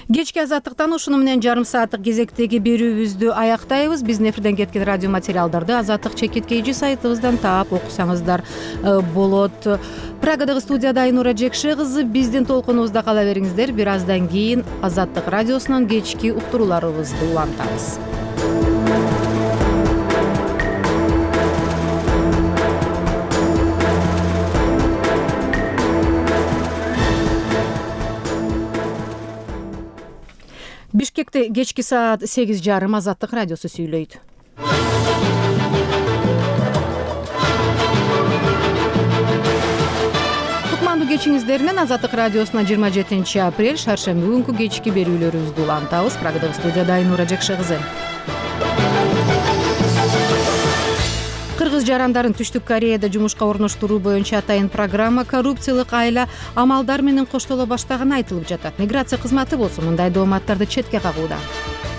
[SPEAKER 1] Кечки Азаттыктан ушуну менен жарым сааттык кезектеги берүүбүздү аяктайбыз. Биздин эфирден кеткен радио материалдарды Азаттык чекит KG сайтыбыздан таап окусаңыздар болот. Прагадагы студияда Айнура Жекше кызы, биздин толкунубузда кала бериңиздер. Бир аздан кийин Азаттык радиосунан кечки уктурууларыбызды улантабыз. Бишкекте кечки саат 8:30 Азаттык радиосу сүйлөйт. Кутмандуу кечиңиздер менен Азаттык радиосуна 27 апрель шаршемби күнкү кечки берүүлөрүбүздү улантабыз. Прагадагы студияда Айнура Жекше кызы. Кыргыз жарандарын Түштүк Кореяда жумушка орноштуруу боюнча атайын программа коррупциялык айла амалдар менен коштоло баштаганы айтылып жатат. Миграция кызматы болсо мындай дооматтарды четке кагууда.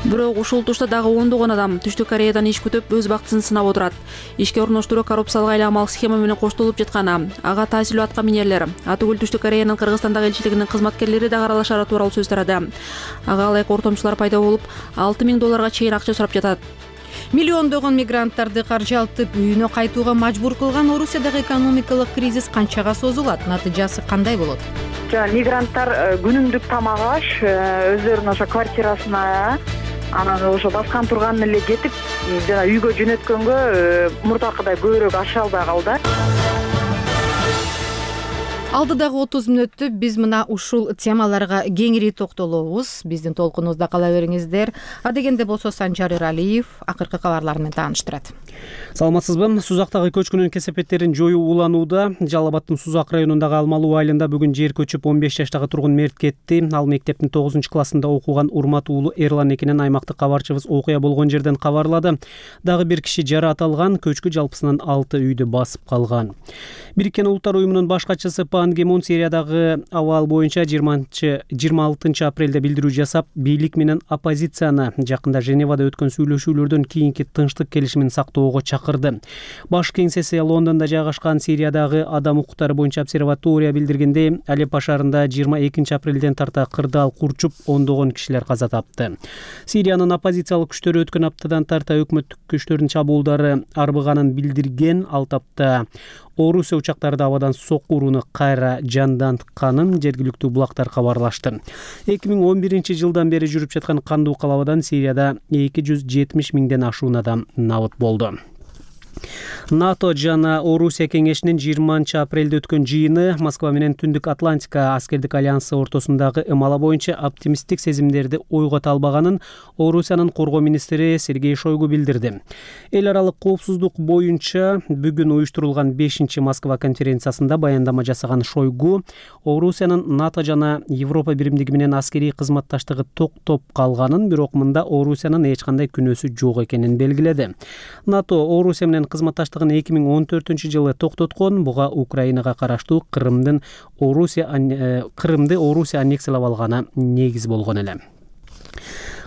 [SPEAKER 9] Бирок ушул тушта дагы ондогон адам Түштүк Кореядан иш күтүп өз бактысын сынап отурат. Ишке орноштуруу коррупциялык айла амал схема менен коштолуп жатканы, ага таасирдүү атка минерлер, атүгүл Түштүк Кореянын Кыргызстандагы элчилигинин кызматкерлери дагы аралашары тууралуу сөз тарады. Ага ылайык ортомчулар пайда болуп, $6,000 чейин акча сурап жатат.
[SPEAKER 1] Миллиондогон мигранттарды каржалтып үйүнө кайтууга мажбур кылган Орусиядагы экономикалык кризис канчага созулат? Натыйжасы кандай болот?
[SPEAKER 20] Мигранттар күнүмдүк тамак аш, өздөрүнүн ошо квартирасына, анан ошо баскан турганын эле кетип, жана үйгө жөнөткөнгө мурдакыдай көбүрөөк аша албай калды.
[SPEAKER 1] Алдыдагы 30 мүнөттү биз мына ушул темаларга кеңири токтолобуз. Биздин толкунубузда кала бериңиздер. Адегенде болсо Санжар Эралиев акыркы кабарлар менен тааныштырат.
[SPEAKER 4] Саламатсызбы? Сузактагы көчкүнүн кесепеттерин жоюу уланууда. Жалал Абадтын Сузак районундагы Алмалуу айылында бүгүн жер көчүп 15 жаштагы тургун мерт кетти. Ал мектептин 9-классында окуган Урмат уулу Эрлан экенин аймактык кабарчыбыз окуя болгон жерден кабарлады. Дагы бир киши жаракат алган, көчкү жалпысынан 6 үйдү басып калган. Бириккен Улуттар уюмунун баш катчысы Пан Ги Мун Сириядагы абал боюнча 26 апрелде билдирүү жасап, бийлик менен оппозицияны жакында Женевада өткөн сүйлөшүүлөрдөн кийинки тынчтык келишимин сактоого чакырды. Баш кеңсеси Лондондо жайгашкан Сириядагы адам укуктары боюнча обсерватория билдиргендей, Алеппо шаарында 22 апрелден тарта кырдаал курчуп, ондогон кишилер каза тапты. Сириянын оппозициялык күчтөрү өткөн аптадан тарта өкмөттүк күчтөрдүн чабуулдары арбыганын билдирген. Ал тапта Орусия учактары абадан сокку урууну кайра жандантканын жергиликтүү булактар кабарлашты. 2011 жылдан бери жүрүп жаткан кандуу калабадан Сирияда 270 миңден ашуун адам набыт болду. НАТО жана Орусия кеңешинин 20 апрелде өткөн жыйыны Москва менен Түндүк Атлантика аскердик альянсы ортосундагы ымала боюнча оптимисттик сезимдерди ойгото албаганын Орусиянын коргоо министри Сергей Шойгу билдирди. Эл аралык коопсуздук боюнча бүгүн уюштурулган 5 Москва конференциясында баяндама жасаган Шойгу Орусиянын НАТО жана Европа биримдиги менен аскерий кызматташтыгы токтоп калганын, бирок мында Орусиянын эч кандай күнөөсү жок экенин белгиледи. НАТО Орусия менен кызматташтыгын 2014 жылы токтоткон. Буга Украинага караштуу Крымды Орусия аннексиялап алганы негиз болгон эле.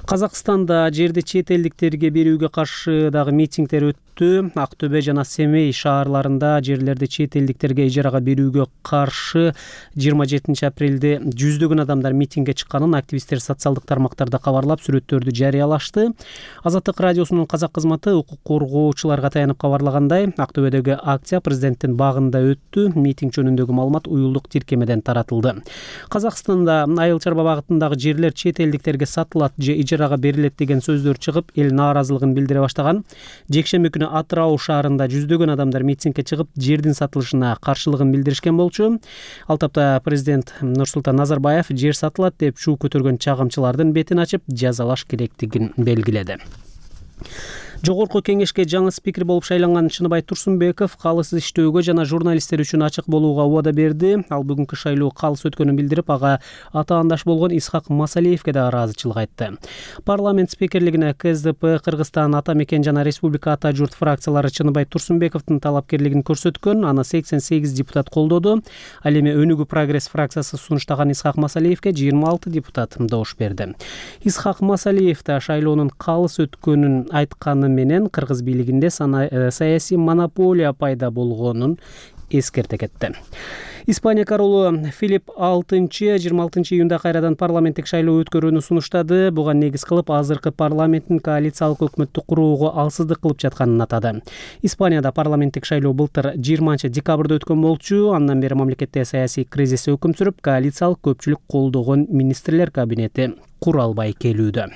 [SPEAKER 4] Казакстанда жерди чет элдиктерге берүүгө каршы дагы митингдер өттү. Ак Төбө жана Семей шаарларында жерлерди чет элдиктерге ижарага берүүгө каршы 27 апрелде жүздөгөн адамдар митингге чыкканын активисттер социалдык тармактарда кабарлап, сүрөттөрдү жарыялашты. Азаттык радиосунун казак кызматы укук коргоочуларга таянып кабарлагандай, Ак Төбөдөгү акция президенттин багында өттү. Митинг жөнүндөгү маалымат уюлдук тиркемеден таратылды. Казакстанда Айыл чарба багытындагы жерлер чет элдиктерге сатылат же ижарага берилет деген сөздөр чыгып, эл нааразылыгын билдире баштаган. Жекшемби күнү Атырау шаарында жүздөгөн адамдар митингге чыгып, жердин сатылышына каршылыгын билдиришкен болчу. Ал тапта президент Нурсултан Назарбаев жер сатылат деп шуу көтөргөн чагымчылардын бетин ачып, жазалаш керектигин белгиледи. Жогорку кеңешке жаңы спикер болуп шайланган Чыныбай Турсунбеков калыс иштөөгө жана журналисттер үчүн ачык болууга убада берди. Ал бүгүнкү шайлоо калыс өткөнүн билдирип, ага атаандаш болгон Исхак Масалиевке да ыраазычылык айтты. Парламент спикерлигине КСДП, Кыргызстан ата мекен жана Республика ата журт фракциялары Чыныбай Турсунбековдун талапкерлигин көрсөткөн, аны 88 депутат колдоду. Ал эми Өнүгүү прогресс фракциясы сунуштаган Исхак Масалиевке 26 депутат добуш берди. Исхак Масалиев да шайлоонун калыс өткөнүн айтканы менен кыргыз бийлигинде саясий монополия пайда болгонун эскерте кетти. Испания королу Филипп 26 июнда кайрадан парламенттик шайлоо өткөрүүнү сунуштады. Буга негиз кылып азыркы парламенттин коалициялык өкмөттү курууга алсыздык кылып жатканын атады. Испанияда парламенттик шайлоо былтыр 20 декабрда өткөн болчу. Андан бери мамлекетте саясий кризис өкүм сүрүп, коалициялык көпчүлүк колдогон министрлер кабинети кура албай келүүдө.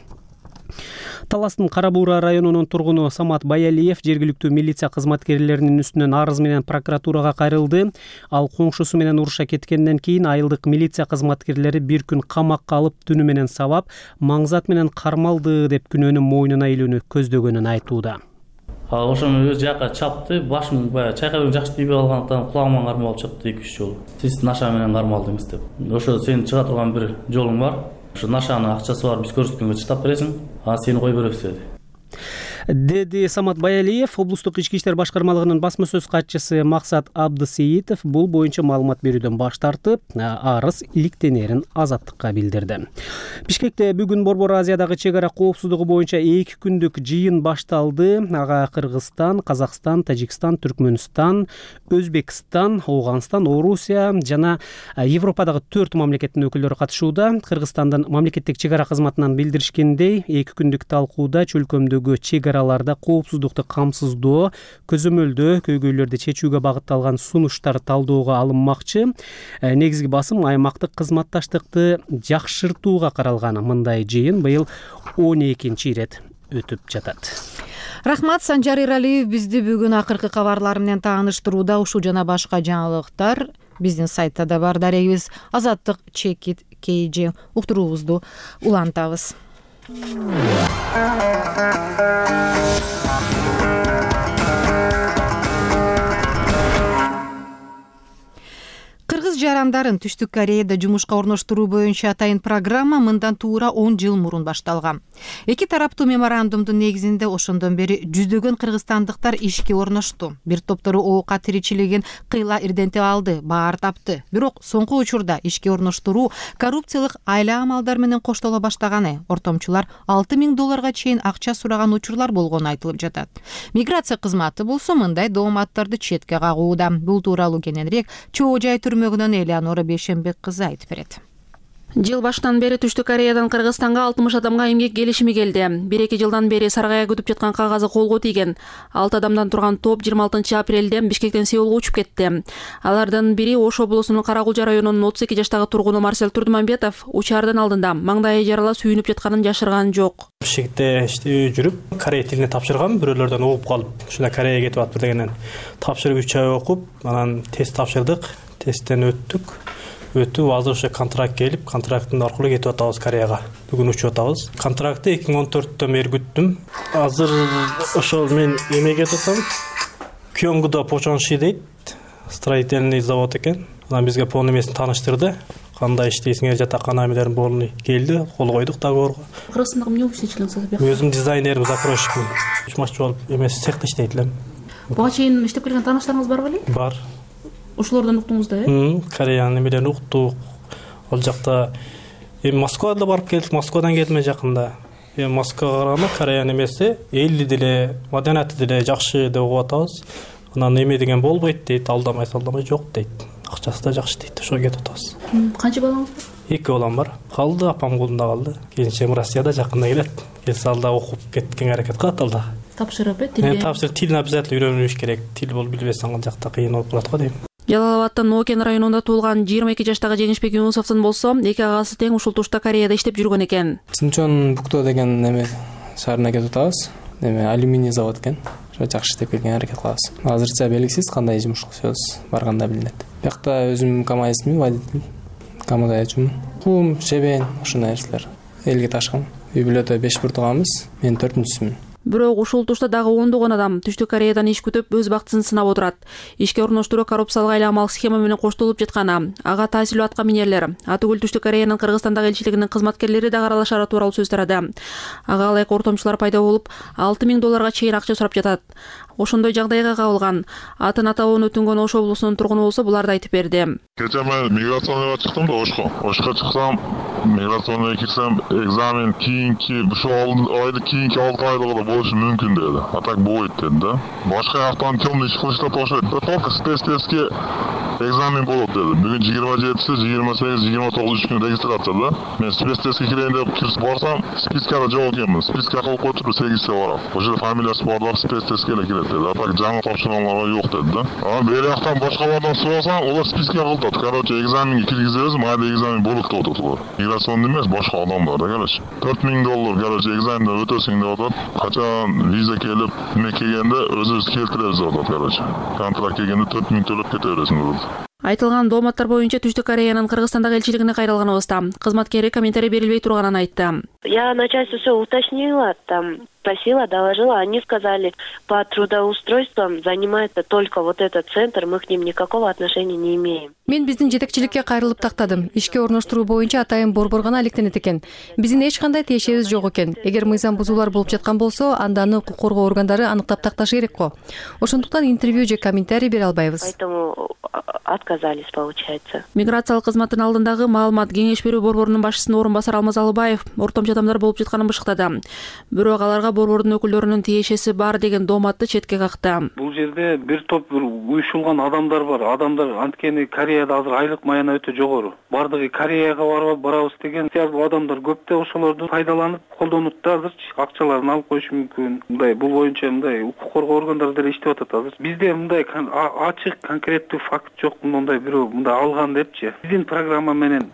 [SPEAKER 4] Таластын Кара Буура районунун тургуну Самат Баялиев жергиликтүү милиция кызматкерлеринин үстүнөн арыз менен прокуратурага кайрылды. Ал коңшусу менен уруша кеткенден кийин айылдык милиция кызматкерлери бир күн камакка алып, түнү менен сабап, маңзат менен кармалды деп күнөөнү мойнуна илүүнү көздөгөнүн айтууда.
[SPEAKER 21] Ошону өз жака чапты, башым баягы чайкап жакшы тийбей калгандыктан кулагыман кармалып чыкты 2-3 жолу. Сиз наша менен кармалдыңыз деп. Ошо сен чыга турган бир жолуң бар. Ошо нашанын акчасы бар, биз көрсөткөнгө чыдап бересиң, а сени кой беребиз деди
[SPEAKER 4] Самат Баялиев. Облустук ички иштер башкармалыгынын басма сөз катчысы Максат Абдысеитов бул боюнча маалымат берүүдөн баш тартып, арыз иликтенерин Азаттыкка билдирди. Бишкекте бүгүн Борбор Азиядагы чек ара коопсуздугу боюнча 2 күндүк жыйын башталды. Ага Кыргызстан, Казакстан, Тажикстан, Түркмөнстан, Өзбекстан, Ооганстан, Орусия жана Европадагы 4 мамлекеттин өкүлдөрү катышууда. Кыргызстандын мамлекеттик чек ара кызматынан билдиришкендей, 2 күндүк талкууда чөлкөмдөгү чек араларда коопсуздукту камсыздоо, көзөмөлдөө, көйгөйлөрдү чечүүгө багытталган сунуштар талдоого алынмакчы. Негизги басым аймактык кызматташтыкты жакшыртууга каралган. Мындай жыйын быйыл 12-чи ирет өтүп жатат.
[SPEAKER 1] Рахмат, Санжар Иралиев бизди бүгүн акыркы кабарлар менен тааныштырууда. Ушул жана башка жаңылыктар биздин сайтта да бар. Дарегибиз Азаттык Чекит KG. Уктуруубузду улантабыз. Кыргыз жарандарын Түштүк Кореяда жумушка орноштуруу боюнча атайын программа мындан туура 10 жыл мурун башталган. Эки тараптуу меморандумдун негизинде ошондон бери жүздөгөн кыргызстандыктар ишке орношту. Бир топтору оока тиричилигин кыйла ирдентип алды, баар тапты. Бирок соңку учурда ишке орноштуруу коррупциялык айла амалдар менен коштоло баштаганы, ортомчулар $6,000 чейин акча сураган учурлар болгону айтылып жатат. Миграция кызматы болсо мындай дооматтарды четке кагууда. Бул тууралуу кененирээк Чоо жай түрмөгүнөн Элеонора Бейшенбек кызы айтып берет.
[SPEAKER 9] Жыл башынан бери Түштүк Кореядан Кыргызстанга 60 адамга эмгек келишими келди. 1-2 жылдан бери саргая күтүп жаткан кагазы колго тийген. 6 адамдан турган топ 26 апрелде Бишкектен Сеулга учуп кетти. Алардын бири Ош облусунун Карагулжа районунун 32 жаштагы тургуну Марсель Турдумамбетов учаардын алдында маңдайы жарала сүйүнүп жатканын жашырган жок.
[SPEAKER 22] Бишкекте жүрүп, корей тилине тапшыргам, бирөөлөрдөн угуп калып, ушундай Кореяга кетип атып дегенен тапшырып 3 ай окуп, анан тест тапшырдык, тесттен өттүк. Өтүп, азыр ошо контракт келип, контракттын аркылуу кетип атабыз Кореяга. Бүгүн учуп атабыз. Контрактты 2014-төн бери күттүм. Азыр ошол мен эмеге кетип атам. Кёнгудо Почонши дейт, строительный завод экен. Анан бизге полный эмесин тааныштырды. Кандай иштейсиңер, жатакана эмелерин полный келди, кол койдук договорго.
[SPEAKER 9] Кыргызстанда эмне болуп иштечилиңиз?
[SPEAKER 22] Өзүм дизайнерим, закройщикмин. Чумаччы болуп эмес цехте иштейт элем.
[SPEAKER 9] Буга чейин иштеп келген тааныштарыңыз бар беле?
[SPEAKER 22] Бар.
[SPEAKER 9] Ошолордон уктуңуз да,
[SPEAKER 22] Кореянын эмелерин уктук. Ал жакта Москвага да барып келдик, Москвадан келдим жакында. Москвага караганда Кореянын эмеси элди деле, маданияты деле жакшы деп угуп атабыз. Анан эме деген болбойт дейт, алдамай жок дейт. Акчасы да жакшы дейт, ошого кетип атабыз.
[SPEAKER 9] Канча балаңыз бар?
[SPEAKER 22] 2 балам бар. Калды, апам колунда калды. Келинчегим Россияда жакында келет. Келсе алда окуп кеткенге аракет кылат алда.
[SPEAKER 9] Тапшырып, тилге.
[SPEAKER 22] Тапшырып, тилин обязательно үйрөнүш керек. Тил болуп билбесең ал жакта кыйын болуп калат го дейм.
[SPEAKER 9] Жалал Абадтын Оокен районунда туулган 22 жаштагы Жеңишбек Юнусовдун болсо, эки агасы тең ушул тушта Кореяда иштеп жүргөн экен.
[SPEAKER 23] Синчон Букто деген эме шаарына кетип атабыз. Эме алюминий завод экен.
[SPEAKER 2] жакшы иштеп келгенге аракет кылабыз. Азырча белгисиз кандай жумуш кылышабыз, барганда билинет. Биякта өзүм КамАЗчымын, водитель. КамАЗчымын. Кум, чебен, ушундай нерселер. Элге ташкан. Үй бүлөдө 5 буртуганбыз. Мен 4-сүмүн.
[SPEAKER 9] Бирок ушул тушта дагы ондогон адам Түштүк Кореядан иш күтүп өз бактысын сынап отурат. Ишке орноштуруу коррупциялык айламалык схема менен коштолуп жатканы, ага таасирдүү атка минерлер, атүгүл Түштүк Кореянын Кыргызстандагы элчилигинин кызматкерлери да аралашары тууралуу сөз тарады. Ага ылайык ортомчулар пайда болуп, $6,000 чейин акча сурап жатат. Ошондой жагдайга кабылган атын атабын өтүнгөн Ош облусунун тургуну болсо буларды айтып берди.
[SPEAKER 5] Кече мен миграционныйга чыктым да Ошко чыксам, миграционныйга кирсем, экзамен кийинки ушул айды кийинки 6 айлыгы болушу мүмкүн деди. А так болбойт деди да. Башка жактан темный иш кылыштап окшойт. Только спецтестке экзамен болот деди. Бүгүн 27-си, 28, 29 күн регистрация да. Мен спецтестке кирейин деп кирсип барсам, спискада жок экенмин. Списка кылып коюптур 8-те барам. Ошол фамилиясы барлар спецтестке эле кирет деди. А так жаңы тапшырганларга жок деди да. А бери жактан башкалардан сурасаң, олар списке кылдат. Короче, экзаменге киргизебиз, майда экзамен болот деп атат. Миграционный эмес, башка адамдар да, короче. $4,000, короче, экзаменде өтөсүң деп атат. Качан виза келип, эме келгенде өзүбүз келтиребиз деп атат, короче. Контракт келгенде $4,000 төлөп кете бересиң деп атат.
[SPEAKER 9] Айтылган дооматтар боюнча Түштүк Кореянын Кыргызстандагы элчилигине кайрылганыбызда кызматкери комментарий берилбей турганын айтты.
[SPEAKER 23] Я начальство все уточнила, там спросила, доложила, они сказали, по трудоустройствам занимается только вот этот центр, мы к ним никакого отношения не имеем.
[SPEAKER 24] Мен биздин жетекчиликке кайрылып тактадым. Ишке орноштуруу боюнча атайын борбор гана алектенет экен. Биздин эч кандай тиешебиз жок экен. Эгер мыйзам бузуулар болуп жаткан болсо, анда аны укук коргоо органдары аныктап такташы керек го. Ошондуктан интервью же комментарий бере албайбыз.
[SPEAKER 23] Поэтому отказались, получается.
[SPEAKER 9] Миграциялык кызматтын алдындагы маалымат кеңеш берүү борборунун башчысынын орун басары Алмаз Алыбаев ортомчу адамдар болуп жатканын бышыктады. Бирок аларга борбордун өкүлдөрүнүн тиешеси бар деген дооматты четке какты.
[SPEAKER 8] Бул жерде бир топ уюшулган адамдар бар. Адамдар анткени Кореяда азыр айлык маяна өтө жогору. Бардыгы Кореяга барабыз деген сыяктуу адамдар көп да ошолорду пайдаланып колдонуп да азырчы акчаларын алып коюшу мүмкүн. Мындай бул боюнча мындай укук коргоо органдары деле иштеп атат азыр. Бизде мындай ачык конкреттүү факт жок, мындай бирөө мындай алган депчи. Биздин программа менен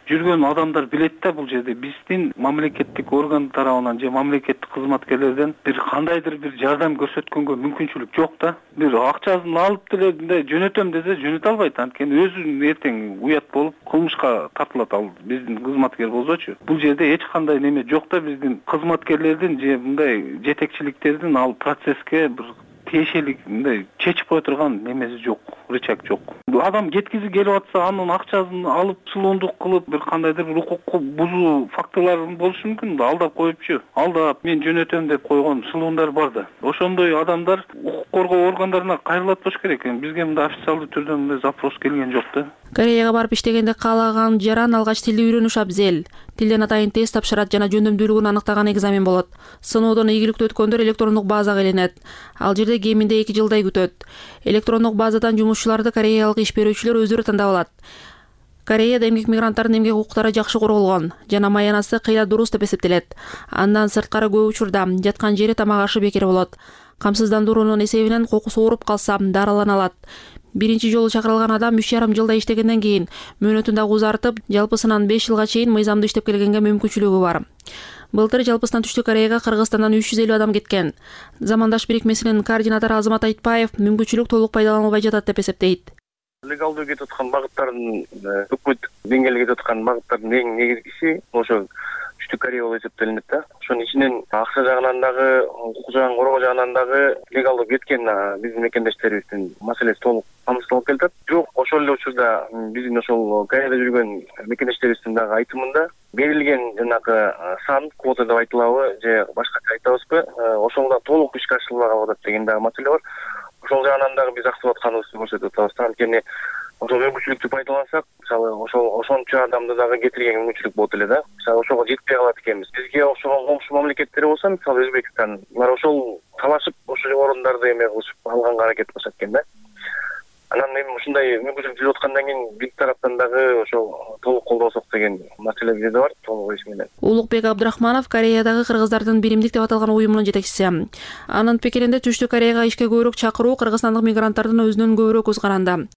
[SPEAKER 8] жүргөн адамдар билет да бул жерде биздин мамлекеттик орган тарабынан же мамлекеттик кызматкерлерден бир кандайдыр бир жардам көрсөткөнгө мүмкүнчүлүк жок да. Бир акчасын алып деле мындай жөнөтөм десе жөнөтө албайт. Анткени өзү эртең уят болуп кылмышка тартылат ал биздин кызматкер болсочу. Бул жерде эч кандай неме жок да биздин кызматкерлердин же мындай жетекчиликтердин ал процесске бир тиешелик мындай чечип кое турган немеси жок, рычаг жок. Адам кеткизи келип атса, анын акчасын алып сулуундук кылып, бир кандайдыр бир укукку бузуу фактылары болушу мүмкүн да, алдап коюпчу. Алдап мен жөнөтөм деп койгон сулуундар бар да. Ошондой адамдар укук коргоо органдарына кайрылат болуш керек. Бизге мындай официалдуу түрдө мындай запрос келген жок да.
[SPEAKER 9] Кореяга барып иштегенде каалаган жаран алгач тилди үйрөнүш абзел. Тилден атайын тест тапшырат жана жөндөмдүүлүгүн аныктаган экзамен болот. Сыноодон ийгиликтүү өткөндөр электрондук базага иленет. Ал жерде кеминде 2 жылдай күтөт. Электрондук базадан жумушчуларды кореялык иш берүүчүлөр өздөрү тандап алат. Кореяда эмгек мигранттардын эмгек укуктары жакшы корголгон жана маянасы кыйла дурус деп эсептелет. Андан сырткары көп учурда жаткан жери тамак ашы бекер болот. Камсыздандыруунун эсебинен кокусу ооруп калса дарылана алат. Биринчи жолу чакырылган адам 3,5 жылда иштегенден кийин мөөнөтүн дагы узартып, жалпысынан 5 жылга чейин мыйзамдуу иштеп келгенге мүмкүнчүлүгү бар. Былтыр жалпысынан Түштүк Кореяга Кыргызстандан 350 адам кеткен. Замандаш бирикмесинин координатору Азамат Айтпаев мүмкүнчүлүк толук пайдаланылбай жатат деп эсептейт.
[SPEAKER 25] Легалдуу кетип аткан багыттардын өкмөт деңгээлде кетип аткан багыттардын эң негизгиси ошо Түштүк Корея болуп эсептелинет да. Ошонун ичинен акча жагынан дагы, укук жагын коргоо жагынан дагы легалдуу кеткен биздин мекендештерибиздин маселеси толук камсыздалып келатат. Бирок ошол эле учурда биздин ошол Кореяда жүргөн мекендештерибиздин дагы айтымында берилген жанагы сан квота деп айтылабы же башкача айтабызбы, ошол да толук ишке ашырылбаган атат деген дагы маселе бар. Ошол жагынан дагы биз актып атканыбызды көрсөтүп атабыз. Анткени ошол мүмкүнчүлүктү пайдалансак, мисалы ошончо адамды дагы кетирген мүмкүнчүлүк болот эле да. Мисалы ошого жетпей калат экенбиз. Бизге окшогон комшу мамлекеттер болсо, мисалы Өзбекстан, булар ошол талашып ошол орондорду эме кылышып алганга аракет кылышат экен да. Анан эми ушундай мүмкүнчүлүк жүрүп аткандан кийин биз тараптан дагы ошол толук колдосок деген маселе бизде бар, толук иш менен.
[SPEAKER 9] Улукбек Абдрахманов Кореядагы кыргыздардын биримдик деп аталган уюмунун жетекчиси. Анын пикиринде Түштүк Кореяга ишке көбүрөөк чакыруу кыргызстандык мигранттардын өзүнөн көбүрөөк көз каранды.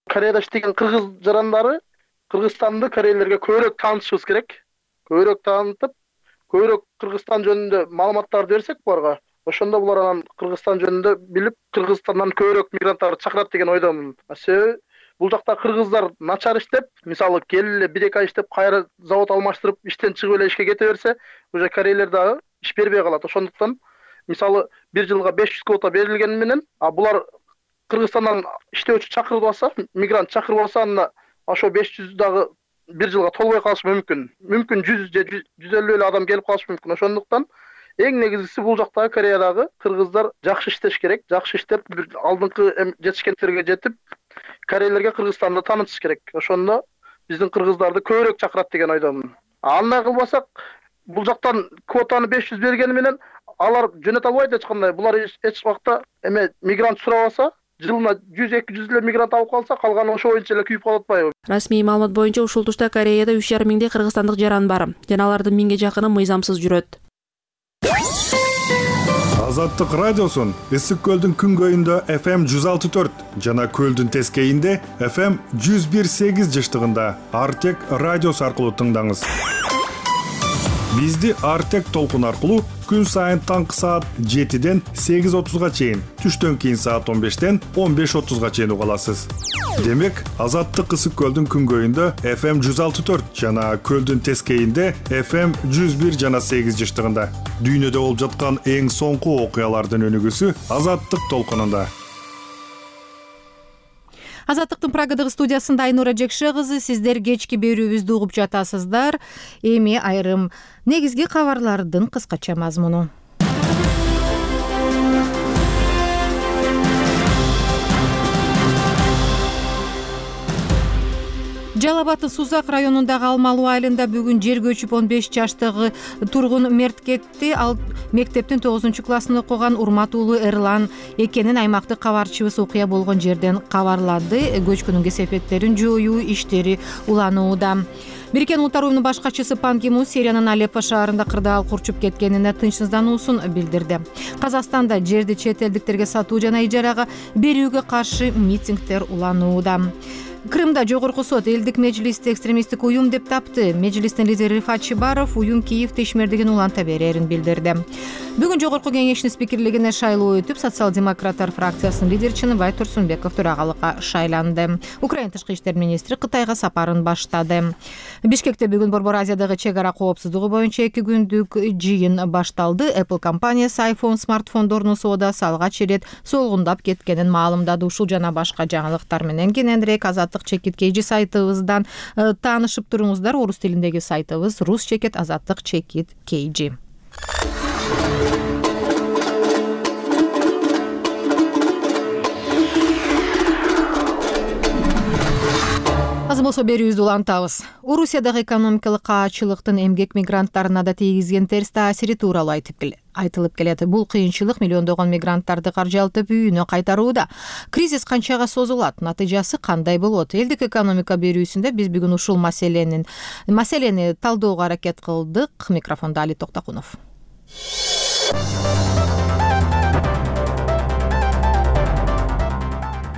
[SPEAKER 26] Кореяда иштеген кыргыз жарандары Кыргызстанды корейлерге көбүрөөк таанытышыбыз керек. Көбүрөөк таанытып, көбүрөөк Кыргызстан жөнүндө маалыматтарды берсек буларга, Ошондо булар анан Кыргызстан жөнүндө билип, Кыргызстандан көбүрөөк мигранттарды чакырат деген ойдомун. Себеби бул жакта кыргыздар начар иштеп, мисалы келип эле 1-2 ай иштеп, кайра завод алмаштырып, иштен чыгып эле ишке кете берсе, уже корейлер дагы иш бербей калат. Ошондуктан мисалы бир жылга 500 квота берилгени менен, булар Кыргызстандан иштөөчү чакырып алса, мигрант чакырып алса, анда ошо 500 дагы бир жылга толбой калышы мүмкүн. Мүмкүн 100 же 150 эле адам келип калышы мүмкүн. Ошондуктан эң негизгиси бул жактагы Кореядагы кыргыздар жакшы иштеш керек. Жакшы иштеп, бир алдыңкы жетишкендерге жетип, корейлерге Кыргызстанды таанытыш керек. Ошондо биздин кыргыздарды көбүрөөк чакырат деген ойдомун. Андай кылбасак, бул жактан квотаны 500 бергени менен алар жөнөтө албайт эч кандай. Булар эч убакта мигрант сурап алса, жылына 100-200 эле мигрант алып калса, калганы ошо боюнча эле күйүп калып атпайбы?
[SPEAKER 9] Расмий маалымат боюнча ушул тушта Кореяда 3,5 миңдей кыргызстандык жаран бар. Жана алардын 1000ге жакыны мыйзамсыз жүрөт.
[SPEAKER 6] Азаттык радиосун Ысык көлдүн күнгөйүндө FM 106.4 жана көлдүн тескейинде FM 101.8 жыштыгында Артек радиосу аркылуу тыңдаңыз. Бизди Артек толкун аркылуу күн сайын таңкы саат 7ден 8:30га чейин, түштөн кийин саат 15ден 15:30га чейин уга аласыз. Демек, Азаттык Ысык көлдүн күнгөйүндө FM 106.4 жана көлдүн тескейинде FM 101 жана 8 жыштыгында. Дүйнөдө болуп жаткан эң соңку окуялардын өнүгүүсү Азаттык толкунунда.
[SPEAKER 1] Азаттыктын Прагадагы студиясында Айнура Жекше кызы, сиздер кечки берүүбүздү угуп жатасыздар. Эми айрым негизги кабарлардын кыскача мазмуну. Жалал Абадтын Сузак районундагы Алмалуу айылында бүгүн жер көчүп 15 жаштагы тургун мерт кетти. Ал мектептин 9-классын окуган Урмат уулу Эрлан экенин аймактык кабарчыбыз окуя болгон жерден кабарлады. Көчкүнүн кесепеттерин жоюу иштери уланууда. Бириккен Улуттар уюмунун баш катчысы Пан Ги Мун Сириянын Алеппо шаарында кырдаал курчуп кеткенине тынчсыздануусун билдирди. Казакстанда жерди чет элдиктерге сатуу жана ижарага берүүгө каршы митингдер уланууда. Крымда жогорку сот элдик межлисти экстремисттик уюм деп тапты. Межлистин лидери Рифат Чибаров уюм Киевде ишмердигин уланта берерин билдирди. Бүгүн жогорку кеңештин спикерлигине шайлоо өтүп, социал-демократтар фракциясынын лидери Чыныбай Турсунбеков төрагалыкка шайланды. Украина тышкы иштер министри Кытайга сапарын баштады. Бишкекте бүгүн Борбор Азиядагы чек ара коопсуздугу боюнча 2 күндүк жыйын башталды. Apple компаниясы iPhone смартфондорунун соодасы алгач ирет солгундап кеткенин маалымдады. Ушул жана башка жаңылыктар менен кененирээк Азаттык чекит KG сайтыбыздан таанышып туруңуздар. Орус тилиндеги сайтыбыз Рус чекит Азаттык чекит KG. Азыр болсо берүүбүздү улантабыз. Орусиядагы экономикалык каачылыктын эмгек мигранттарына да тийгизген терс таасири тууралуу айтылып келет. Бул кыйынчылык миллиондогон мигранттарды каржылтып үйүнө кайтарууда. Кризис канчага созулат? Натыйжасы кандай болот? Элдик экономика берүүсүндө биз бүгүн ушул маселени талдөөгө аракет кылдык. Микрофондо Али Токтокунов.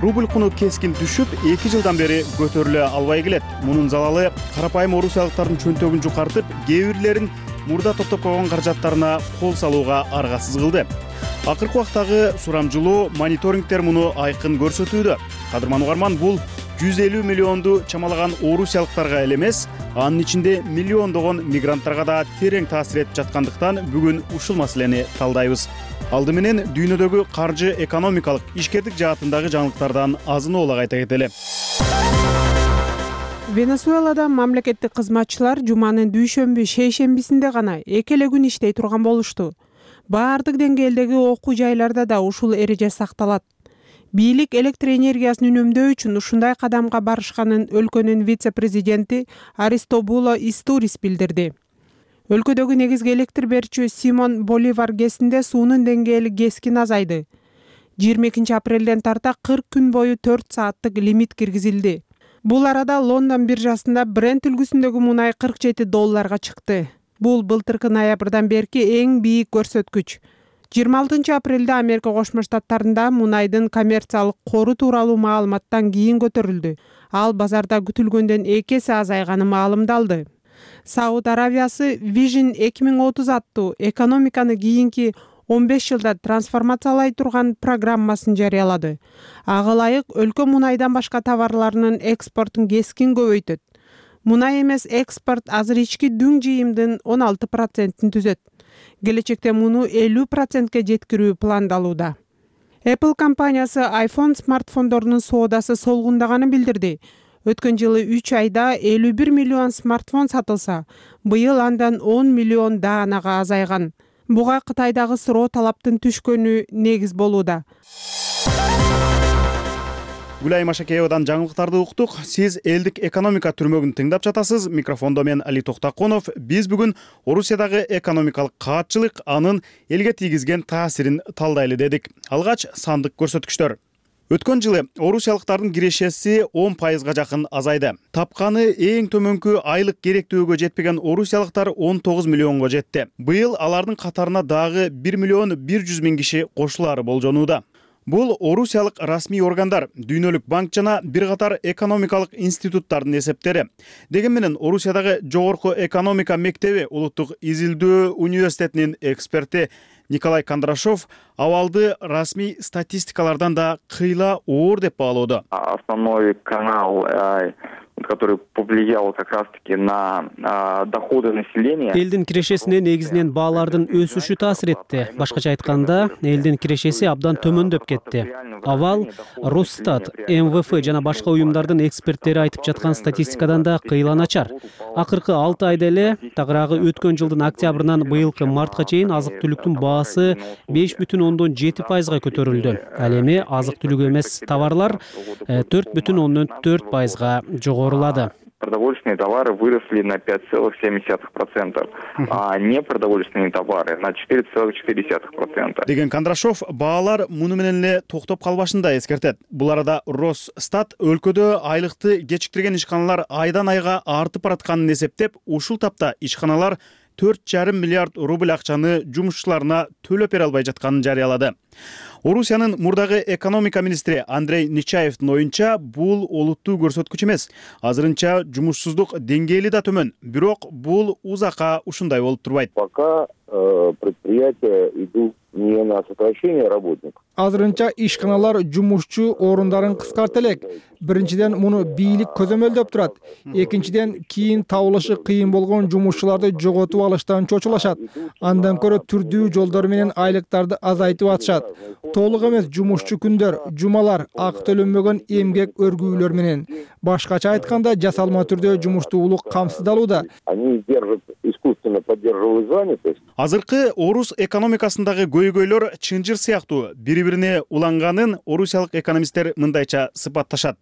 [SPEAKER 7] Рубль куну кескин түшүп, 2 жылдан бери көтөрүлө албай келет. Мунун залалы карапайым орусиялыктардын чөнтөгүн жукартып, кээ бирлерин мурда топтоп койгон каражаттарына кол салууга аргасыз кылды. Акыркы убактагы сурамжылоо, мониторингдер муну айкын көрсөтүүдө. Кадырман угарман, бул 150 миллионду чамалаган орусиялыктарга эле эмес, анын ичинде миллиондогон мигранттарга да терең таасир этип жаткандыктан бүгүн ушул маселени талдайбыз. Алды менен дүйнөдөгү каржы экономикалык ишкердик жаатындагы жаңылыктардан азын-оолак айта кетели.
[SPEAKER 10] Венесуэлада мамлекеттик кызматчылар жуманын дүйшөмбү шейшембисинде гана 2 эле күн иштей турган болушту. Баардык деңгээлдеги окуу жайларда да ушул эреже сакталат. Бийлик электр энергиясын үнөмдөө үчүн ушундай кадамга барышканын өлкөнүн вице-президенти Аристобуло Истурис билдирди. Өлкөдөгү негизги электр берүүчү Симон Боливар ГЭСинде суунун деңгээли кескин азайды. 22 апрелден тарта 40 күн бою 4 сааттык лимит киргизилди. Бул арада Лондон биржасында Brent үлгүсүндөгү мунай $47 чыкты. Бул былтыркы ноябрдан берки эң бийик көрсөткүч. 26 апрелде Америка Кошмо Штаттарында мунайдын коммерциялык кору тууралуу маалыматтан кийин көтөрүлдү. Ал базарда күтүлгөндөн 2 эсе азайганы маалымдалды. Сауд Аравиясы Vision 2030 аттуу экономиканы кийинки 15 жылда трансформациялай турган программасын жарыялады. Ага ылайык өлкө мунайдан башка товарларынын экспортун кескин көбөйтөт. Мунай эмес экспорт азыр ички дүң жыйымдын 16%-ин түзөт. Келечекте муну 50%-ке жеткирүү пландалууда. Apple компаниясы iPhone смартфондорунун соодасы солгундаганын билдирди. Өткөн жылы 3 айда 51 миллион смартфон сатылса, быйыл андан 10 миллион даанага азайган. Буга Кытайдагы суроо талаптын түшкөнү негиз болууда.
[SPEAKER 7] Гүлай Машакеевадан жаңылыктарды уктук. Сиз элдик экономика түрмөгүн тыңдап жатасыз. Микрофондо мен Али Токтаконов. Биз бүгүн Орусиядагы экономикалык каатчылык анын элге тийгизген таасирин талдайлы дедик. Алгач сандык көрсөткүчтөр. Өткөн жылы орусиялыктардын кирешеси 10%га жакын азайды. Тапканы эң төмөнкү айлык керектүүгө жетпеген орусиялыктар 19 миллионго жетти. Быйыл алардын катарына дагы 1 миллион 100 миң киши кошулаары болжонууда. Бул орусиялык расмий органдар, Дүйнөлүк банк жана бир катар экономикалык институттардын эсептери. Деген менен Орусиядагы жогорку экономика мектеби Улуттук изилдөө университетинин эксперти Николай Кондрашов абалды расмий статистикалардан да кыйла оор деп баалоодо.
[SPEAKER 11] Основной канал, который повлиял как раз-таки на доходы населения.
[SPEAKER 4] Элдин кирешесине негизинен баалардын өсүшү таасир этти. Башкача айтканда, элдин кирешеси абдан төмөндөп кетти. Абал Росстат, МВФ жана башка уюмдардын эксперттери айтып жаткан статистикадан да кыйла начар. Акыркы 6 айда эле, тагыраагы өткөн жылдын октябрынан быйылкы мартка чейин азык-түлүктүн баасы 5,7%га көтөрүлдү. Ал эми азык-түлүк эмес товарлар 4,4%га жогорулады.
[SPEAKER 11] Продовольственные товары выросли на 5,7%, а непродовольственные товары на 4,4%.
[SPEAKER 7] Деген Кондрашов баалар муну менен эле токтоп калбашында эскертет. Бул арада Росстат өлкөдө айлыкты кечиктирген ишканалар айдан айга артып баратканын эсептеп, ушул тапта ишканалар 4,5 миллиард рубль акчаны жумушчуларына төлөп бере албай жатканын жарыялады. Орусиянын мурдагы экономика министри Андрей Нечаевдин оюнча, бул олуттуу көрсөткүч эмес. Азырынча жумушсуздук деңгээли да төмөн. Бирок бул узакка ушундай болуп турбайт.
[SPEAKER 12] Пока предприятия идут не на сокращение работников.
[SPEAKER 13] Азырынча ишканалар жумушчу орундарын кыскарта элек. Биринчиден муну бийлик көзөмөлдөп турат. Экинчиден кийин табылышы кыйын болгон жумушчуларды жоготуп алыштан чочулашат. Андан көрө түрдүү жолдор менен айлыктарды азайтып атышат. Толук эмес жумушчу күндөр, жумалар, акы төлөнбөгөн эмгек өргүүлөр менен. Башкача айтканда, жасалма түрдө жумуштуулук камсыздалууда.
[SPEAKER 12] Они держат искусственно поддерживают занятость.
[SPEAKER 7] Азыркы орус экономикасындагы көйгөйлөр чынжыр сыяктуу бири-бирине уланганын орусиялык экономисттер мындайча сыпатташат.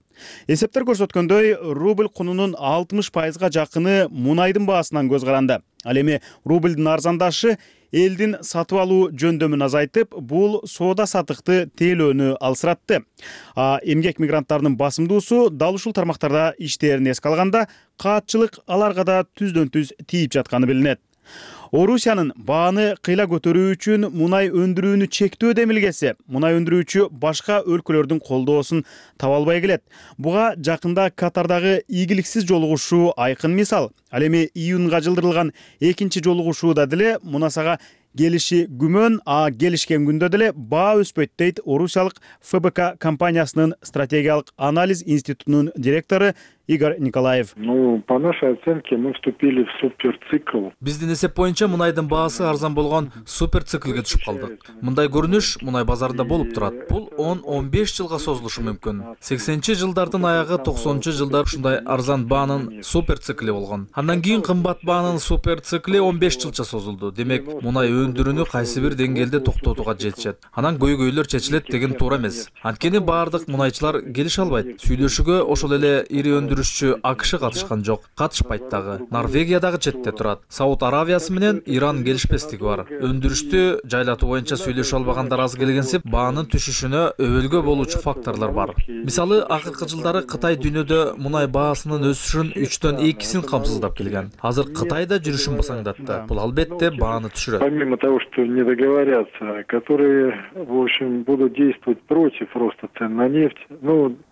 [SPEAKER 7] Эсептер көрсөткөндөй, рубль кунунун 60%га жакыны мунайдын баасынан көз каранды. Ал эми рубльдин арзандашы элдин сатып алуу жөндөмүн азайтып, бул соода сатыкты тейлөөнү алсыратты. Эмгек мигранттарынын басымдуусу дал ушул тармактарда иштерин эске алганда, каатчылык аларга да түздөн түз тийип жатканы билинет. Орусиянын бааны кыйла көтөрүү үчүн мунай өндүрүүнү чектөө демилгеси мунай өндүрүүчү башка өлкөлөрдүн колдоосун таба албай келет. Буга жакында Катардагы ийгиликсиз жолугушуу айкын мисал. Ал эми июнга жылдырылган экинчи жолугушууда деле мунасага келиши күмөн, келишкен күндө деле баа өспөйт дейт орусиялык ФБК компаниясынын стратегиялык анализ институтунун директору Игорь Николаев.
[SPEAKER 12] По нашей оценке мы вступили в суперцикл.
[SPEAKER 14] Биздин эсеп боюнча мунайдын баасы арзан болгон суперциклге түшүп калдык. Мындай көрүнүш мунай базарында болуп турат. Бул 10-15 жылга созулушу мүмкүн. 80-жылдардын аягы 90-жылдар ушундай арзан баанын суперцикли болгон. Андан кийин кымбат баанын суперцикли 15 жылча созулду. Демек, мунай өндүрүүнү кайсы бир деңгээлде токтотууга жетишет. Анан көйгөйлөр чечилет деген туура эмес. Анткени баардык мунайчылар келише албайт. Сүйлөшүүгө ошол эле ири өндүрүшчү АКШ катышкан жок, катышпайт дагы. Норвегия дагы четте турат. Сауд Аравиясы менен Иран келишпестиги бар. Өндүрүштү жайлатуу боюнча сүйлөшө албагандар аз келгенсип, баанын түшүшүнө өбөлгө болуучу факторлор бар. Мисалы, акыркы жылдары Кытай дүйнөдө мунай баасынын өсүшүн 3-төн 2-син камсыздап келген. Азыр Кытай да жүрүшүн басаңдатты. Бул албетте бааны түшүрөт.
[SPEAKER 12] Помимо того, что не договорятся, которые, в общем, будут действовать против роста цен на нефть,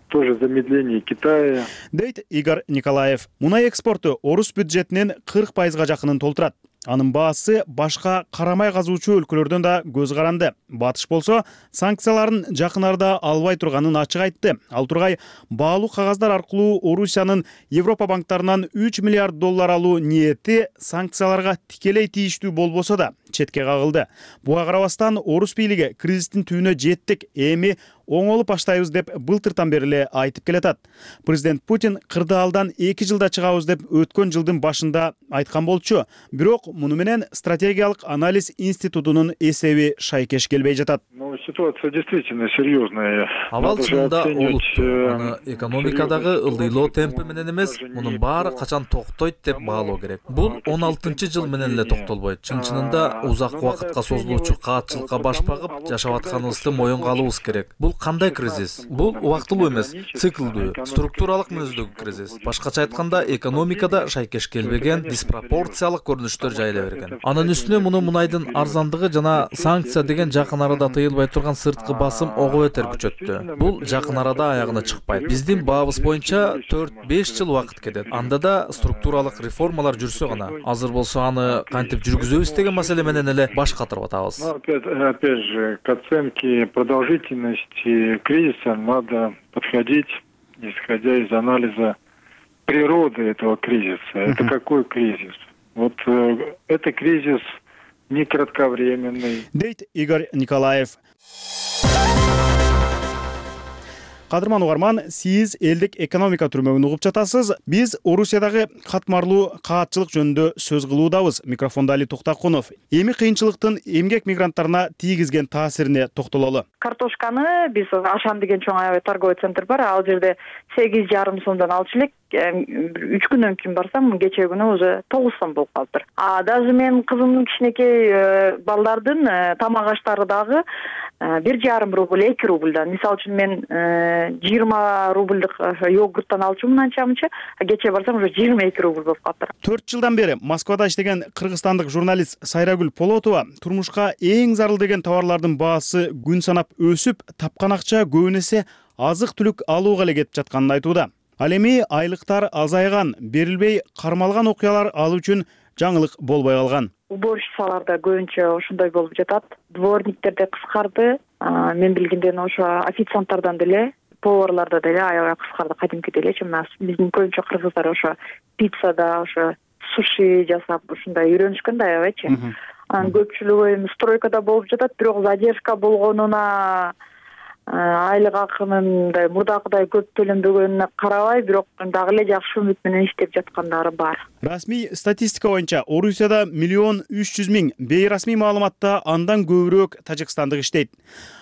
[SPEAKER 12] тоже замедление Китая.
[SPEAKER 7] Дейт Игорь Николаев. Мунай экспорту орус бюджетинин 40%га жакынын толтурат. анын баасы башка карамай казуучу өлкөлөрдөн да көз каранды. Батыш болсо санкцияларын жакын арада албай турганын ачык айтты. Ал тургай баалуу кагаздар аркылуу Орусиянын Европа банктарынан 3 миллиард доллар алуу ниети санкцияларга тикелей тийиштүү болбосо да четке кагылды. Буга карабастан орус бийлиги кризистин түбүнө жеттик, эми оңолуп баштайбыз деп былтыртан бери эле айтып келатат. Президент Путин кырдаалдан 2 жылда чыгабыз деп өткөн жылдын башында айткан болчу. Бирок муну менен стратегиялык анализ институтунун эсеби шайкеш келбей жатат.
[SPEAKER 12] Ситуация действительно серьезная.
[SPEAKER 14] Абал чынында олуттуу. Аны экономикадагы ылдыйлоо темпи менен эмес, мунун баары качан токтойт деп баалоо керек. Бул 16-жыл менен эле токтолбойт. Чын-чынында узак убакытка созулуучу каатчылыкка баш багып жашап атканыбызды моюнга алуубуз керек. Бул кандай кризис? Бул убактылуу эмес, циклдүү, структуралык мүнөздөгү кризис. Башкача айтканда, экономикада шайкеш келбеген диспропорциялык көрүнүштөр жайыла берген. Анын үстүнө муну мунайдын арзандыгы жана санкция деген жакын арада тыйылбай турган сырткы басым ого бетер күчөттү. Бул жакын арада аягына чыкпайт. Биздин баабыз боюнча 4-5 жыл убакыт кетет. Анда да структуралык реформалар жүрсө гана. Азыр болсо аны кантип жүргүзөбүз деген маселе менен эле баш катырып атабыз.
[SPEAKER 12] Опять же, к оценке продолжительности кризиса надо подходить, исходя из анализа природы этого кризиса. Это какой кризис? Вот это кризис не кратковременный.
[SPEAKER 7] Дейт Игорь Николаев. Кадырман угарман, сиз элдик экономика түрмөгүн угуп жатасыз. Биз Орусиядагы катмарлуу каатчылык жөнүндө сөз кылуудабыз. Микрофондо Али Токтакунов. Эми кыйынчылыктын эмгек мигранттарына тийгизген таасирине токтололу.
[SPEAKER 20] Картошканы биз Ашан деген чоң аябай торговый центр бар. Ал жерде 8,5 сомдон алчу элек. 3 күндөн кийин барсам, кечээ күнү уже 9 сом болуп калыптыр. Даже мен кызымдын кичинекей балдардын тамак аштары дагы 1,5 рубль, 2 рубльдан. Мисалы үчүн мен 20 рубльдык йогурттан алчумун анча-мынча, кечээ барсам уже 22 рубль болуп калыптыр.
[SPEAKER 7] 4 жылдан бери Москвада иштеген кыргызстандык журналист Сайрагүл Полотова турмушка эң зарыл деген товарлардын баасы күн санап өсүп, тапкан акча көбүн эсе азык-түлүк алууга эле кетип жатканын айтууда. Ал эми айлыктар азайган, берилбей кармалган окуялар ал үчүн жаңылык болбой калган.
[SPEAKER 20] Уборщицаларда көбүнчө ошондой болуп жатат. Дворниктерде кыскарды. Мен билгенден ошо официанттардан деле, поварларда деле аябай кыскарды, кадимкидей элечи. Биздин көбүнчө кыргыздар ошо пиццада, ошо суши жасап, ушундай үйрөнүшкөн да аябайчы. Анын көпчүлүгү эми стройкада болуп жатат, бирок задержка болгонуна айлык акынын мурдакыдай көп төлөнбөгөнүнө карабай, бирок дагы эле жакшы үмүт менен иштеп жаткандары бар.
[SPEAKER 7] Расмий статистика боюнча Орусияда 1,3 миллион, бейрасмий маалыматта андан көбүрөөк тажикстандык иштейт.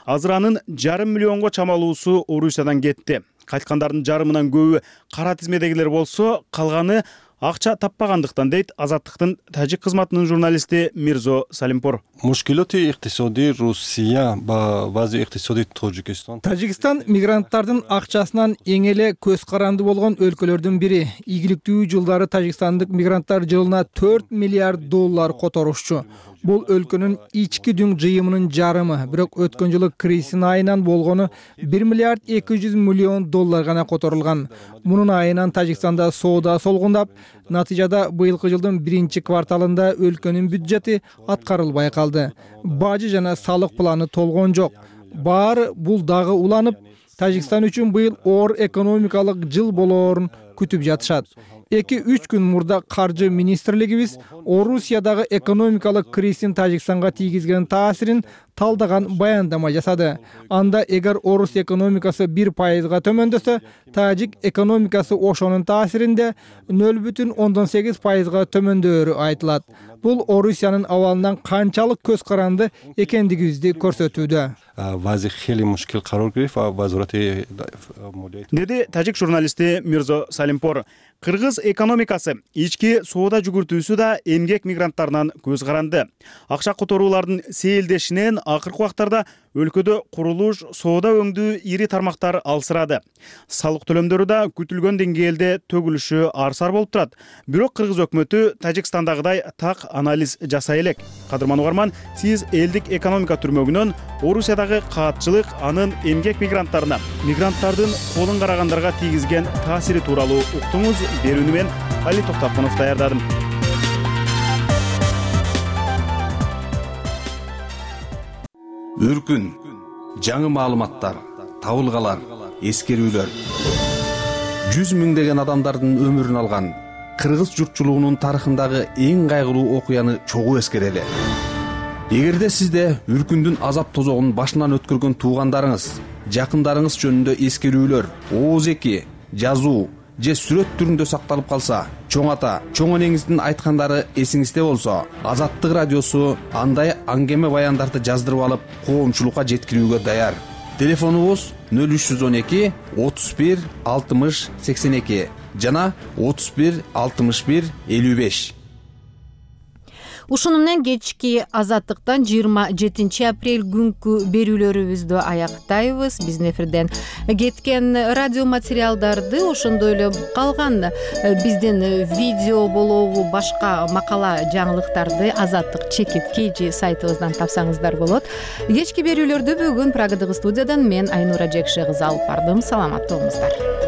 [SPEAKER 7] Азыр анын 5,5 миллионго чамалуусу Орусиядан кетти. Кайткандардын жарымынан көбү кара тизмедегилер болсо, калганы акча таппагандыктан дейт Азаттыктын тажик кызматынын журналисти Мирзо Салимпур.
[SPEAKER 3] Мушкилоти иктисодий Русия ба вази иктисодий Таджикистан.
[SPEAKER 13] Тажикстан мигранттардын акчасынан эң эле көз каранды болгон өлкөлөрдүн бири. Ийгиликтүү жылдары тажикстандык мигранттар жылына 4 миллиард доллар которушчу. Бул өлкөнүн ички дүң жыйымынын жарымы, бирок өткөн жылы кризистин айынан болгону 1 миллиард 200 миллион доллар гана которулган. Мунун айынан Тажикстанда соода солгундап, натыйжада быйылкы жылдын 1-кварталында өлкөнүн бюджети аткарылбай калды. Бажы жана салык планы толгон жок. Баары бул дагы уланып, Тажикстан үчүн быйыл оор экономикалык жыл болоорун күтүп жатышат. 2-3 күн мурда каржы министрлигибиз Орусиядагы экономикалык кризистин Тажикстанга тийгизген таасирин талдаган баяндама жасады. Анда эгер орус экономикасы 1%га төмөндөсө, тажик экономикасы ошонун таасиринде 0,8%га төмөндөөрү айтылат. Бул Орусиянын абалынан канчалык көз каранды экендигибизди көрсөтүүдө.
[SPEAKER 7] Деди тажик журналисти Мирзо Салимпур. Кыргыз экономикасы ички соода жүгүртүүсү да эмгек мигранттарынан көз каранды. Акча которуулардын сейилдешинен акыркы убактарда өлкөдө курулуш, соода өңдүү ири тармактар алсырады. Салык төлөмдөрү да күтүлгөн деңгээлде төгүлүшү арсар болуп турат. Бирок кыргыз өкмөтү Тажикстандагыдай так анализ жасай элек. Кадырман угарман, сиз элдик экономика түрмөгүнөн Орусиядагы каатчылык, анын эмгек мигранттарына, мигранттардын колун карагандарга тийгизген таасири тууралуу уктуңуз. Берүүнү мен Али Токтакунов даярдадым.
[SPEAKER 15] өркүн, жаңы маалыматтар, табылгалар, эскерүүлөр. 100 миңдеген адамдардын өмүрүн алган кыргыз журтчулугунун тарыхындагы эң кайгылуу окуяны чогуу эскерели. Эгерде сизде үркүндүн азап тозогун башынан өткөргөн туугандарыңыз, жакындарыңыз жөнүндө эскерүүлөр, ооз-эки, жазуу же сүрөт түрүндө сакталып калса, чоң ата, чоң энеңиздин айткандары эсиңизде болсо, Азаттык радиосу андай аңгеме баяндарды жаздырып алып, коомчулукка жеткирүүгө даяр. Телефонубуз 0312 31 60 82 жана 31 61 55.
[SPEAKER 1] Ушуну менен кечки Азаттыктан 27 апрель күнкү берүүлөрүбүздү аяктайбыз. Биздин эфирден кеткен радио материалдарды, ошондой эле калган биздин видео болобу, башка макала жаңылыктарды Азаттык чекит KG сайтыбыздан тапсаңыздар болот. Кечки берүүлөрдү бүгүн Праgadагы студиядан мен Айнура Жекше кызы алып бардым. Саламатта болуңуздар.